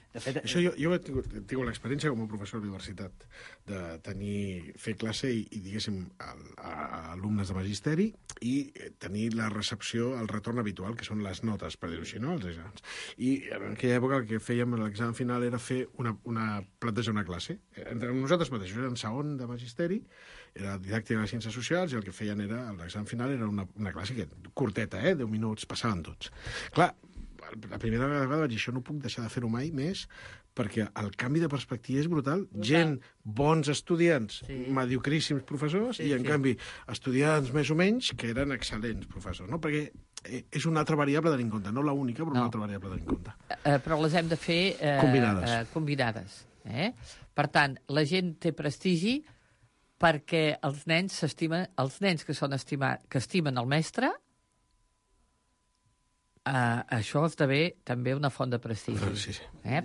De fet, això jo, jo he tingut, he tingut l'experiència com a professor d'universitat de tenir, fer classe i, i diguéssim, a, a, a alumnes de magisteri i tenir la recepció, el retorn habitual, que són les notes, per dir-ho així, no?, els exàmens. I en aquella època el que fèiem a l'examen final era fer una, una plantejar una classe. Entre nosaltres mateixos, era en segon de magisteri, era didàctica de ciències socials, i el que feien era, l'examen final era una, una classe que, curteta, eh, deu minuts, passaven tots. Clar, la primera vegada vaig dir, això no puc deixar de fer-ho mai més, perquè el canvi de perspectiva és brutal. Gent, bons estudiants, sí. mediocríssims professors, sí, i en sí. canvi estudiants més o menys que eren excel·lents professors, no? Perquè és una altra variable a tenir en compte, no l'única, però no. una altra variable a tenir en compte.
Eh, però les hem de fer... Eh,
combinades.
Eh, combinades eh? Per tant, la gent té prestigi perquè els nens s'estimen, els nens que són estimat, que estimen el mestre, Uh, això esdevé també una font de prestigi.
Sí, sí.
Eh?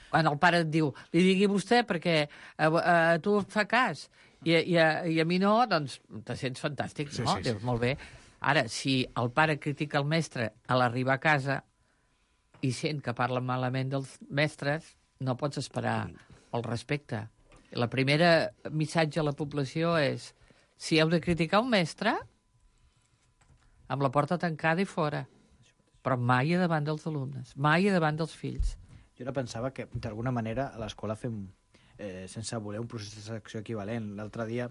Quan el pare et diu, li digui vostè perquè a, a, a tu et fa cas i, i, a, i a mi no, doncs te sents fantàstic, no? Sí, sí, sí. Dius, molt bé. Ara, si el pare critica el mestre a l'arribar a casa i sent que parla malament dels mestres, no pots esperar el respecte. La primera missatge a la població és, si heu de criticar un mestre, amb la porta tancada i fora. Però mai a davant dels alumnes, mai a davant dels fills.
Jo ara pensava que, d'alguna manera, a l'escola fem, eh, sense voler, un procés de selecció equivalent. L'altre dia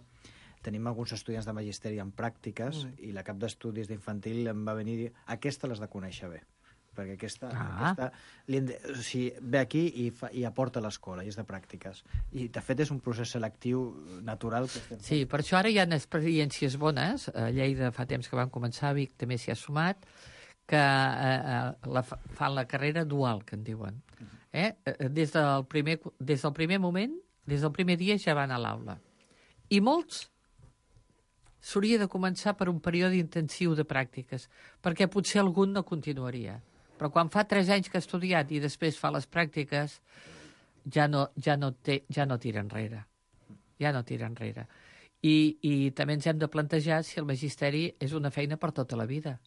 tenim alguns estudiants de magisteri en pràctiques mm. i la cap d'estudis d'infantil em va venir i dir, aquesta l'has de conèixer bé, perquè aquesta, ah. aquesta li de, o sigui, ve aquí i, fa, i aporta a l'escola, i és de pràctiques. I, de fet, és un procés selectiu natural. Que estem
sí, per això ara hi ha experiències bones. A Lleida fa temps que vam començar, a Vic també s'hi ha sumat, que eh, la, fan la carrera dual, que en diuen. Eh? Des, del primer, des del primer moment, des del primer dia ja van a l'aula. I molts s'hauria de començar per un període intensiu de pràctiques, perquè potser algun no continuaria. Però quan fa tres anys que ha estudiat i després fa les pràctiques, ja no, ja no, té, ja no tira enrere. Ja no tira enrere. I, I també ens hem de plantejar si el magisteri és una feina per tota la vida.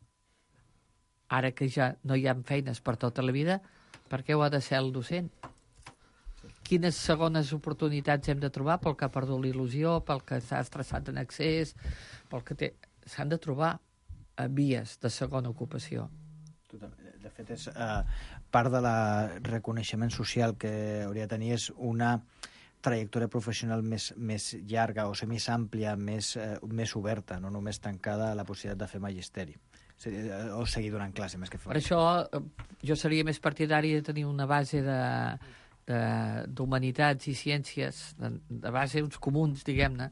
Ara que ja no hi ha feines per tota la vida, per què ho ha de ser el docent? Quines segones oportunitats hem de trobar pel que ha perdut l'il·lusió, pel que s'ha estressat en excés, pel que té... S'han de trobar uh, vies de segona ocupació.
De fet, és uh, part de la reconeixement social que hauria de tenir és una trajectòria professional més, més llarga, o sigui, més àmplia, més, uh, més oberta, no només tancada a la possibilitat de fer magisteri. O seguir donant classe més que fer.
Per això jo seria més partidari de tenir una base de, de, d'humanitats i ciències, de, de base uns comuns, diguem-ne,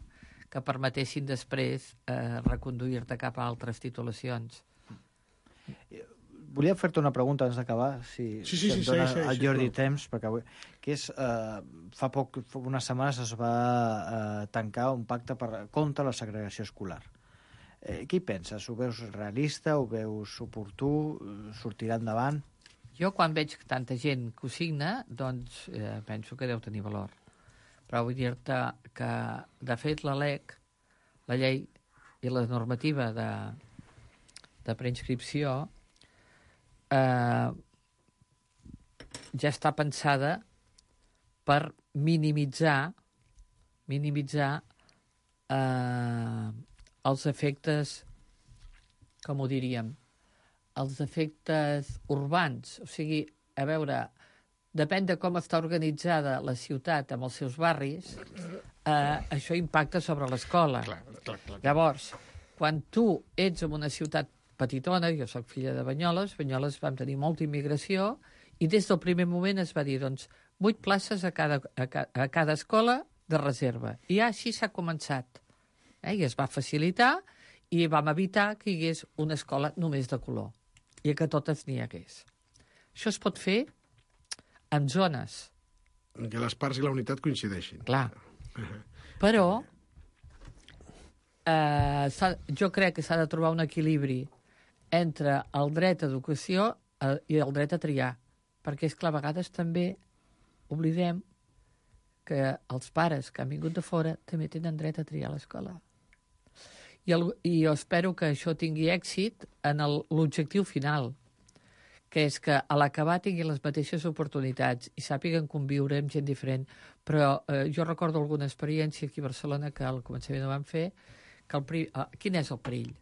que permetessin després eh, reconduir-te cap a altres titulacions.
Volia fer-te una pregunta abans d'acabar, si,
sí, sí,
si em
sí,
dona
sí, sí,
el
sí,
Jordi
sí,
temps, perquè avui, que és, eh, fa poc, fa unes setmanes es va eh, tancar un pacte per, contra la segregació escolar. Eh, què hi penses? Ho veus realista? Ho veus oportú? Sortirà endavant?
Jo, quan veig tanta gent que ho signa, doncs eh, penso que deu tenir valor. Però vull dir-te que, de fet, la L E C, la llei i la normativa de, de preinscripció eh, ja està pensada per minimitzar minimitzar eh, els efectes, com ho diríem, els efectes urbans. O sigui, a veure, depèn de com està organitzada la ciutat amb els seus barris, eh, això impacta sobre l'escola. Llavors, quan tu ets en una ciutat petitona, jo sóc filla de Banyoles, Banyoles vam tenir molta immigració, i des del primer moment es va dir, doncs, vuit places a cada, a, ca, a cada escola de reserva. I així s'ha començat. Eh, i es va facilitar i vam evitar que hi hagués una escola només de color i que totes n'hi hagués. Això es pot fer en zones.
En què les parts i la unitat coincideixin.
Clar. Però eh, jo crec que s'ha de trobar un equilibri entre el dret a educació eh, i el dret a triar. Perquè és que a vegades també oblidem que els pares que han vingut de fora també tenen dret a triar l'escola. I, el, I jo espero que això tingui èxit en l'objectiu final, que és que a l'acabar tinguin les mateixes oportunitats i sàpiguen conviure amb gent diferent. Però eh, jo recordo alguna experiència aquí a Barcelona que al començament ho vam fer, que el pri... eh, quin és el perill?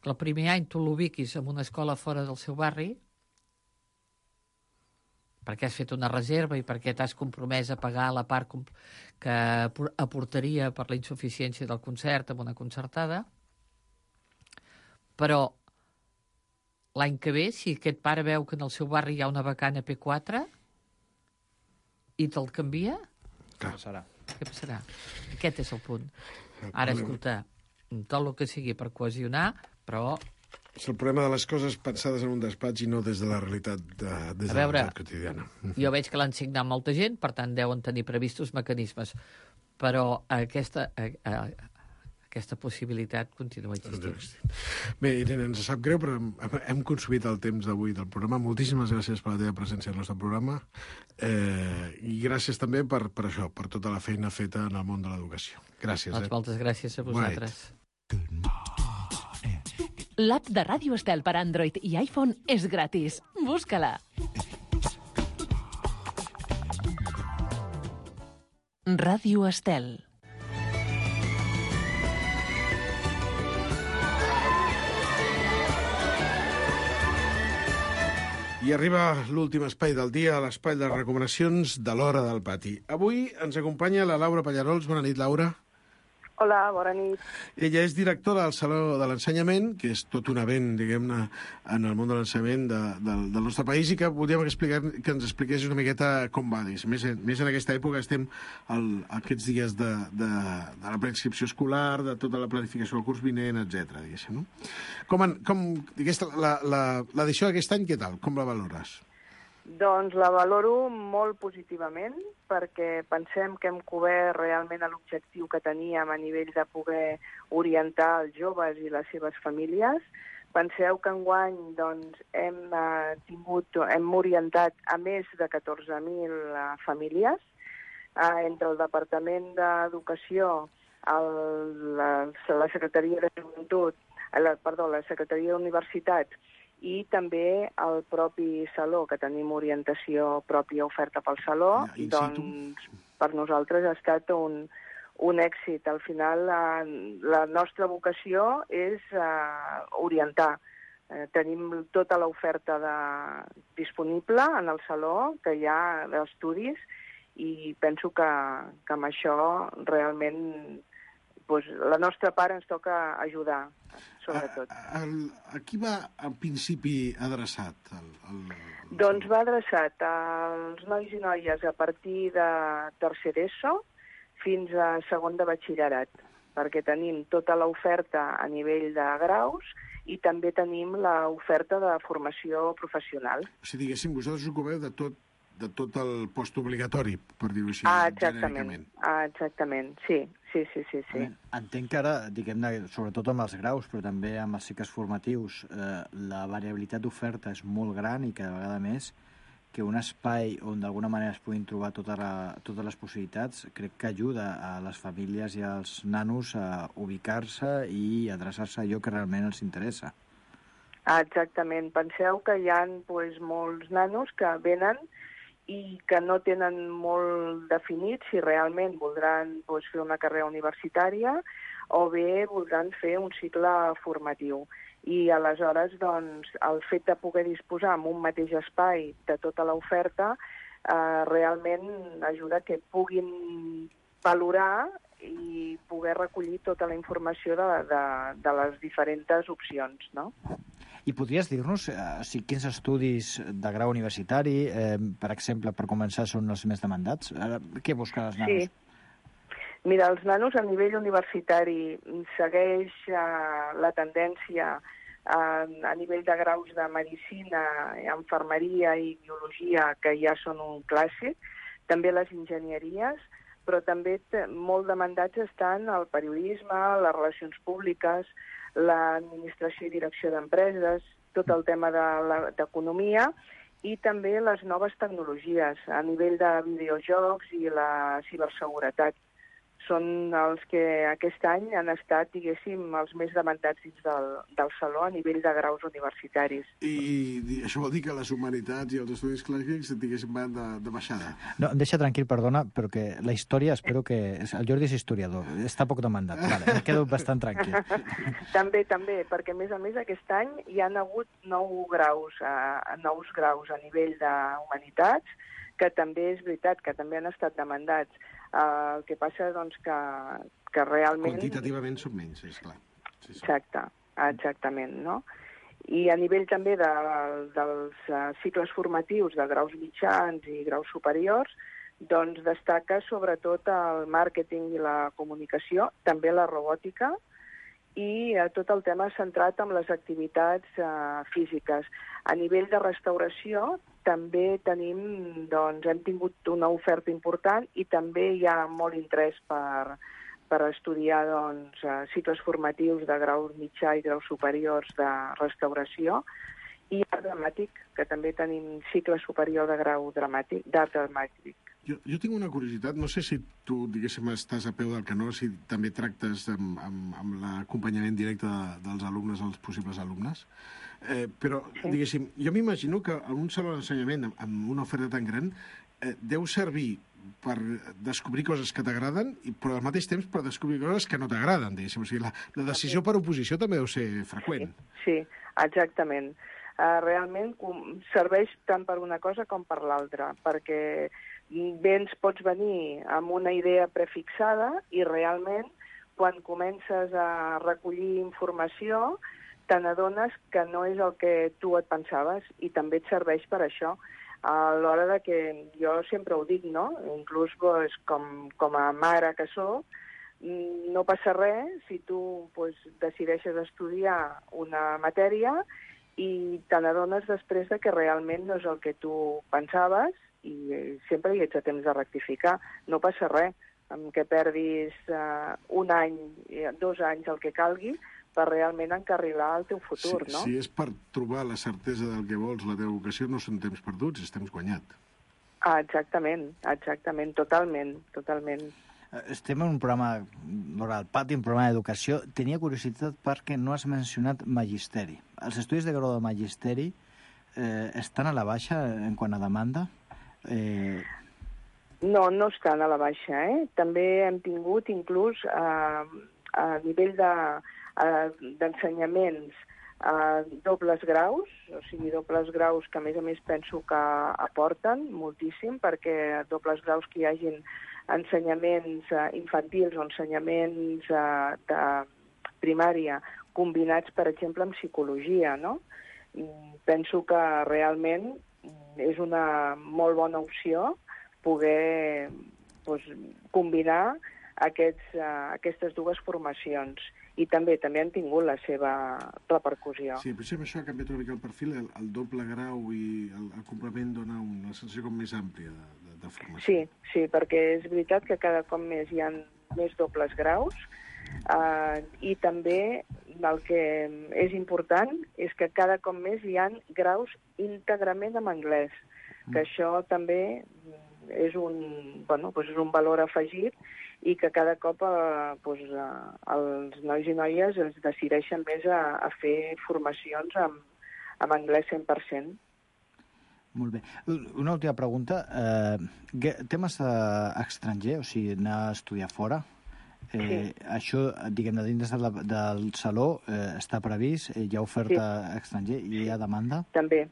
Que el primer any tu l'ubiquis en una escola fora del seu barri, perquè has fet una reserva i perquè t'has compromès a pagar la part que aportaria per la insuficiència del concert amb una concertada, però l'any que ve, si aquest pare veu que en el seu barri hi ha una vacant a P quatre i te'l canvia,
què passarà?
Què passarà? Aquest és el punt. Ara, escolta, tot el que sigui per cohesionar, però...
És el problema de les coses pensades en un despatx i no des de la realitat, de, des de la realitat quotidiana.
Jo veig que l'han signat molta gent, per tant deuen tenir previstos mecanismes, però aquesta... A, a, aquesta possibilitat continua existint.
Bé, Irene, ens sap greu, però hem consumit el temps d'avui del programa. Moltíssimes gràcies per la teva presència al nostre programa eh, i gràcies també per, per això, per tota la feina feta en el món de l'educació. Gràcies.
Doncs
eh?
moltes gràcies a vosaltres.
L'app de Ràdio Estel per Android i iPhone és gratis. Busca-la. Ràdio Estel.
I arriba l'últim espai del dia, l'espai de recomanacions de l'Hora del Pati. Avui ens acompanya la Laura Pallarols. Bona nit, Laura.
Hola, bona nit.
Ella és directora del Saló de l'Ensenyament, que és tot un event, diguem-ne, en el món de l'ensenyament de, de, del nostre país, i que voldríem explicar, que ens expliqués una miqueta com va. Més, més en aquesta època estem el, aquests dies de, de, de la preinscripció escolar, de tota la planificació del curs vinent, etcètera. No? Com, en, com l'edició d'aquest any, què tal? Com la valores?
Doncs la valoro molt positivament, perquè pensem que hem cobert realment l'objectiu que teníem a nivell de poder orientar els joves i les seves famílies. Penseu que enguany doncs, hem, eh, tingut, hem orientat a més de catorze mil eh, famílies, eh, entre el Departament d'Educació, el, la, la Secretaria de Joventut, la, perdó, la Secretaria d'Universitats, i també el propi saló, que tenim orientació pròpia oferta pel saló, ja, doncs per nosaltres ha estat un, un èxit. Al final la, la nostra vocació és uh, orientar. Uh, tenim tota l'oferta de, disponible en el saló, que hi ha d'estudis, i penso que, que amb això realment pues, la nostra part ens toca ajudar, sobretot.
A, a, a qui va, en principi, adreçat? El, el, el...
Doncs va adreçat als nois i noies a partir de tercer d'ESO fins a segon de batxillerat, perquè tenim tota l'oferta a nivell de graus i també tenim l'oferta de formació professional.
O sigui, diguéssim, vosaltres us ocupeu de tot, de tot el postobligatori, per dir-ho així,
ah, exactament.
genèricament. Ah,
exactament, sí. Sí, sí, sí, sí.
Entenc que ara, diguem-ne, sobretot amb els graus, però també amb els cicles formatius, eh, la variabilitat d'oferta és molt gran i cada vegada més que un espai on d'alguna manera es puguin trobar tota la, totes les possibilitats, crec que ajuda a les famílies i als nanos a ubicar-se i adreçar-se a allò que realment els interessa.
Ah, exactament. Penseu que hi ha pues, molts nanos que venen i que no tenen molt definit si realment voldran doncs, fer una carrera universitària o bé voldran fer un cicle formatiu. I aleshores doncs, el fet de poder disposar en un mateix espai de tota l'oferta eh, realment ajuda que puguin valorar i poder recollir tota la informació de, de, de les diferents opcions, no?
I podries dir-nos eh, si quins estudis de grau universitari, eh, per exemple, per començar, són els més demandats? Eh, què busquen els nanos?
Sí. Mira, els nanos a nivell universitari segueix eh, la tendència eh, a nivell de graus de medicina, infermeria i biologia, que ja són un clàssic, també les enginyeries, però també molt demandats estan el periodisme, les relacions públiques, l'administració i direcció d'empreses, tot el tema d'economia i també les noves tecnologies a nivell de videojocs i la ciberseguretat. Són els que aquest any han estat, diguéssim, els més demandats dins del, del saló a nivell de graus universitaris.
I, i això vol dir que les humanitats i els estudis clàssics, diguéssim, van de, de baixada?
No, em deixa tranquil, perdona, però que la història, espero que... El Jordi és historiador, està poc demandat, vale, em quedo bastant tranquil.
També, també, perquè a més a més aquest any hi han hagut nou graus, uh, nous graus a nivell d'humanitats, que també és veritat, que també han estat demandats. Uh, el que passa, doncs, que, que realment...
Quantitativament són menys, és clar. Sí, sí.
Exacte, exactament, no? I a nivell també de, dels uh, cicles formatius de graus mitjans i graus superiors, doncs destaca sobretot el màrqueting i la comunicació, també la robòtica, i uh, tot el tema centrat en les activitats uh, físiques. A nivell de restauració també tenim, doncs, hem tingut una oferta important i també hi ha molt interès per, per estudiar doncs, cicles formatius de grau mitjà i graus superiors de restauració, i art dramàtic, que també tenim cicle superior de grau dramàtic, d'art dramàtic.
Jo, jo tinc una curiositat, no sé si tu, diguéssim, estàs a peu del canó, si també tractes amb, amb, amb l'acompanyament directe de, dels alumnes als possibles alumnes, eh, però, sí. diguéssim, jo m'imagino que en un saló d'ensenyament amb, amb una oferta tan gran eh, deu servir per descobrir coses que t'agraden, però al mateix temps per descobrir coses que no t'agraden, diguéssim. O sigui, la, la decisió per oposició també deu ser freqüent.
Sí, sí, exactament. Uh, realment com, serveix tant per una cosa com per l'altra, perquè bé ens pots venir amb una idea prefixada i realment quan comences a recollir informació te n'adones que no és el que tu et pensaves i també et serveix per això. A l'hora de que jo sempre ho dic, no? Inclús pues, com, com a mare que soc, no passa res si tu pues, decideixes estudiar una matèria i te n'adones després de que realment no és el que tu pensaves i sempre hi ets a temps de rectificar. No passa res, amb que perdis uh, un any, dos anys, el que calgui, per realment encarrilar el teu futur,
sí,
no?
Si és per trobar la certesa del que vols, la teva vocació, no són temps perduts, és temps guanyat.
Ah, exactament, exactament, totalment, totalment.
Estem en un programa, L'Hora del Pati, un programa d'educació. Tenia curiositat perquè no has mencionat magisteri. Els estudis de grau de magisteri eh, estan a la baixa en quant a demanda? Eh...
No, no estan a la baixa, eh? També hem tingut, inclús, eh, a nivell de d'ensenyaments a dobles graus, o sigui, dobles graus que a més a més penso que aporten moltíssim, perquè dobles graus que hi hagin ensenyaments infantils o ensenyaments de primària combinats, per exemple, amb psicologia, no? Penso que realment és una molt bona opció poder doncs, combinar aquests, aquestes dues formacions. I també també han tingut la seva repercussió.
Sí, potser amb això ha canviat una mica el perfil, el, el doble grau i el, el complement dona una sensació com més àmplia de, de, de formació.
Sí, sí, perquè és veritat que cada cop més hi ha més dobles graus eh, i també el que és important és que cada cop més hi ha graus íntegrament en anglès, que mm. això també és un, bueno, doncs és un valor afegit i que cada cop eh, doncs, eh, els nois i noies es decideixen més a, a fer formacions amb, amb anglès cent per cent.
Molt bé. Una última pregunta. Eh, temes eh, estranger, o sigui, anar a estudiar fora, eh, sí. Això, diguem-ne, dins del, del saló eh, està previst? Eh, hi ha oferta sí. estranger? Hi ha demanda?
També.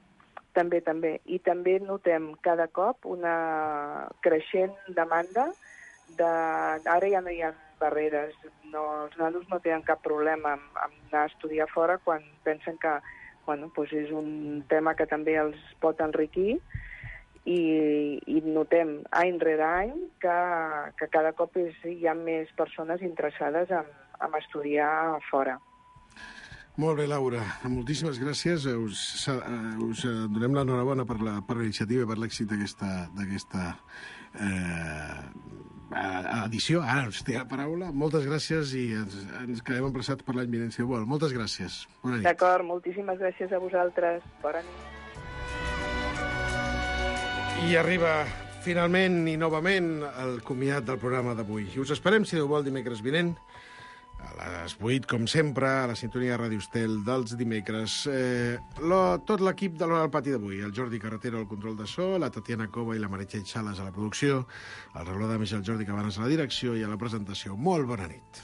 També, també. I també notem cada cop una creixent demanda de... Ara ja no hi ha barreres. No, els nanos no tenen cap problema amb, amb anar a estudiar fora quan pensen que bueno, doncs és un tema que també els pot enriquir i, i notem any rere any que, que cada cop és, hi ha més persones interessades en, en estudiar fora.
Molt bé, Laura. Moltíssimes gràcies. Us, us donem l'enhorabona per la per l'iniciativa i per l'èxit d'aquesta eh, edició. Ara us té la paraula. Moltes gràcies i ens, ens quedem emplaçats per l'any vinent, si vol. Moltes gràcies. Bona nit.
D'acord, moltíssimes gràcies a vosaltres. Bona nit.
I arriba finalment i novament el comiat del programa d'avui. I us esperem, si Déu vol, dimecres vinent, a les vuit, com sempre, a la sintonia de Ràdio Estel dels dimecres. Eh, lo, tot l'equip de l'Hora del Pati d'avui, el Jordi Carretero al control de so, la Tatiana Cova i la Meritxell Sales a la producció, el reloj de més el Jordi Cabanes a la direcció i a la presentació. Molt bona nit.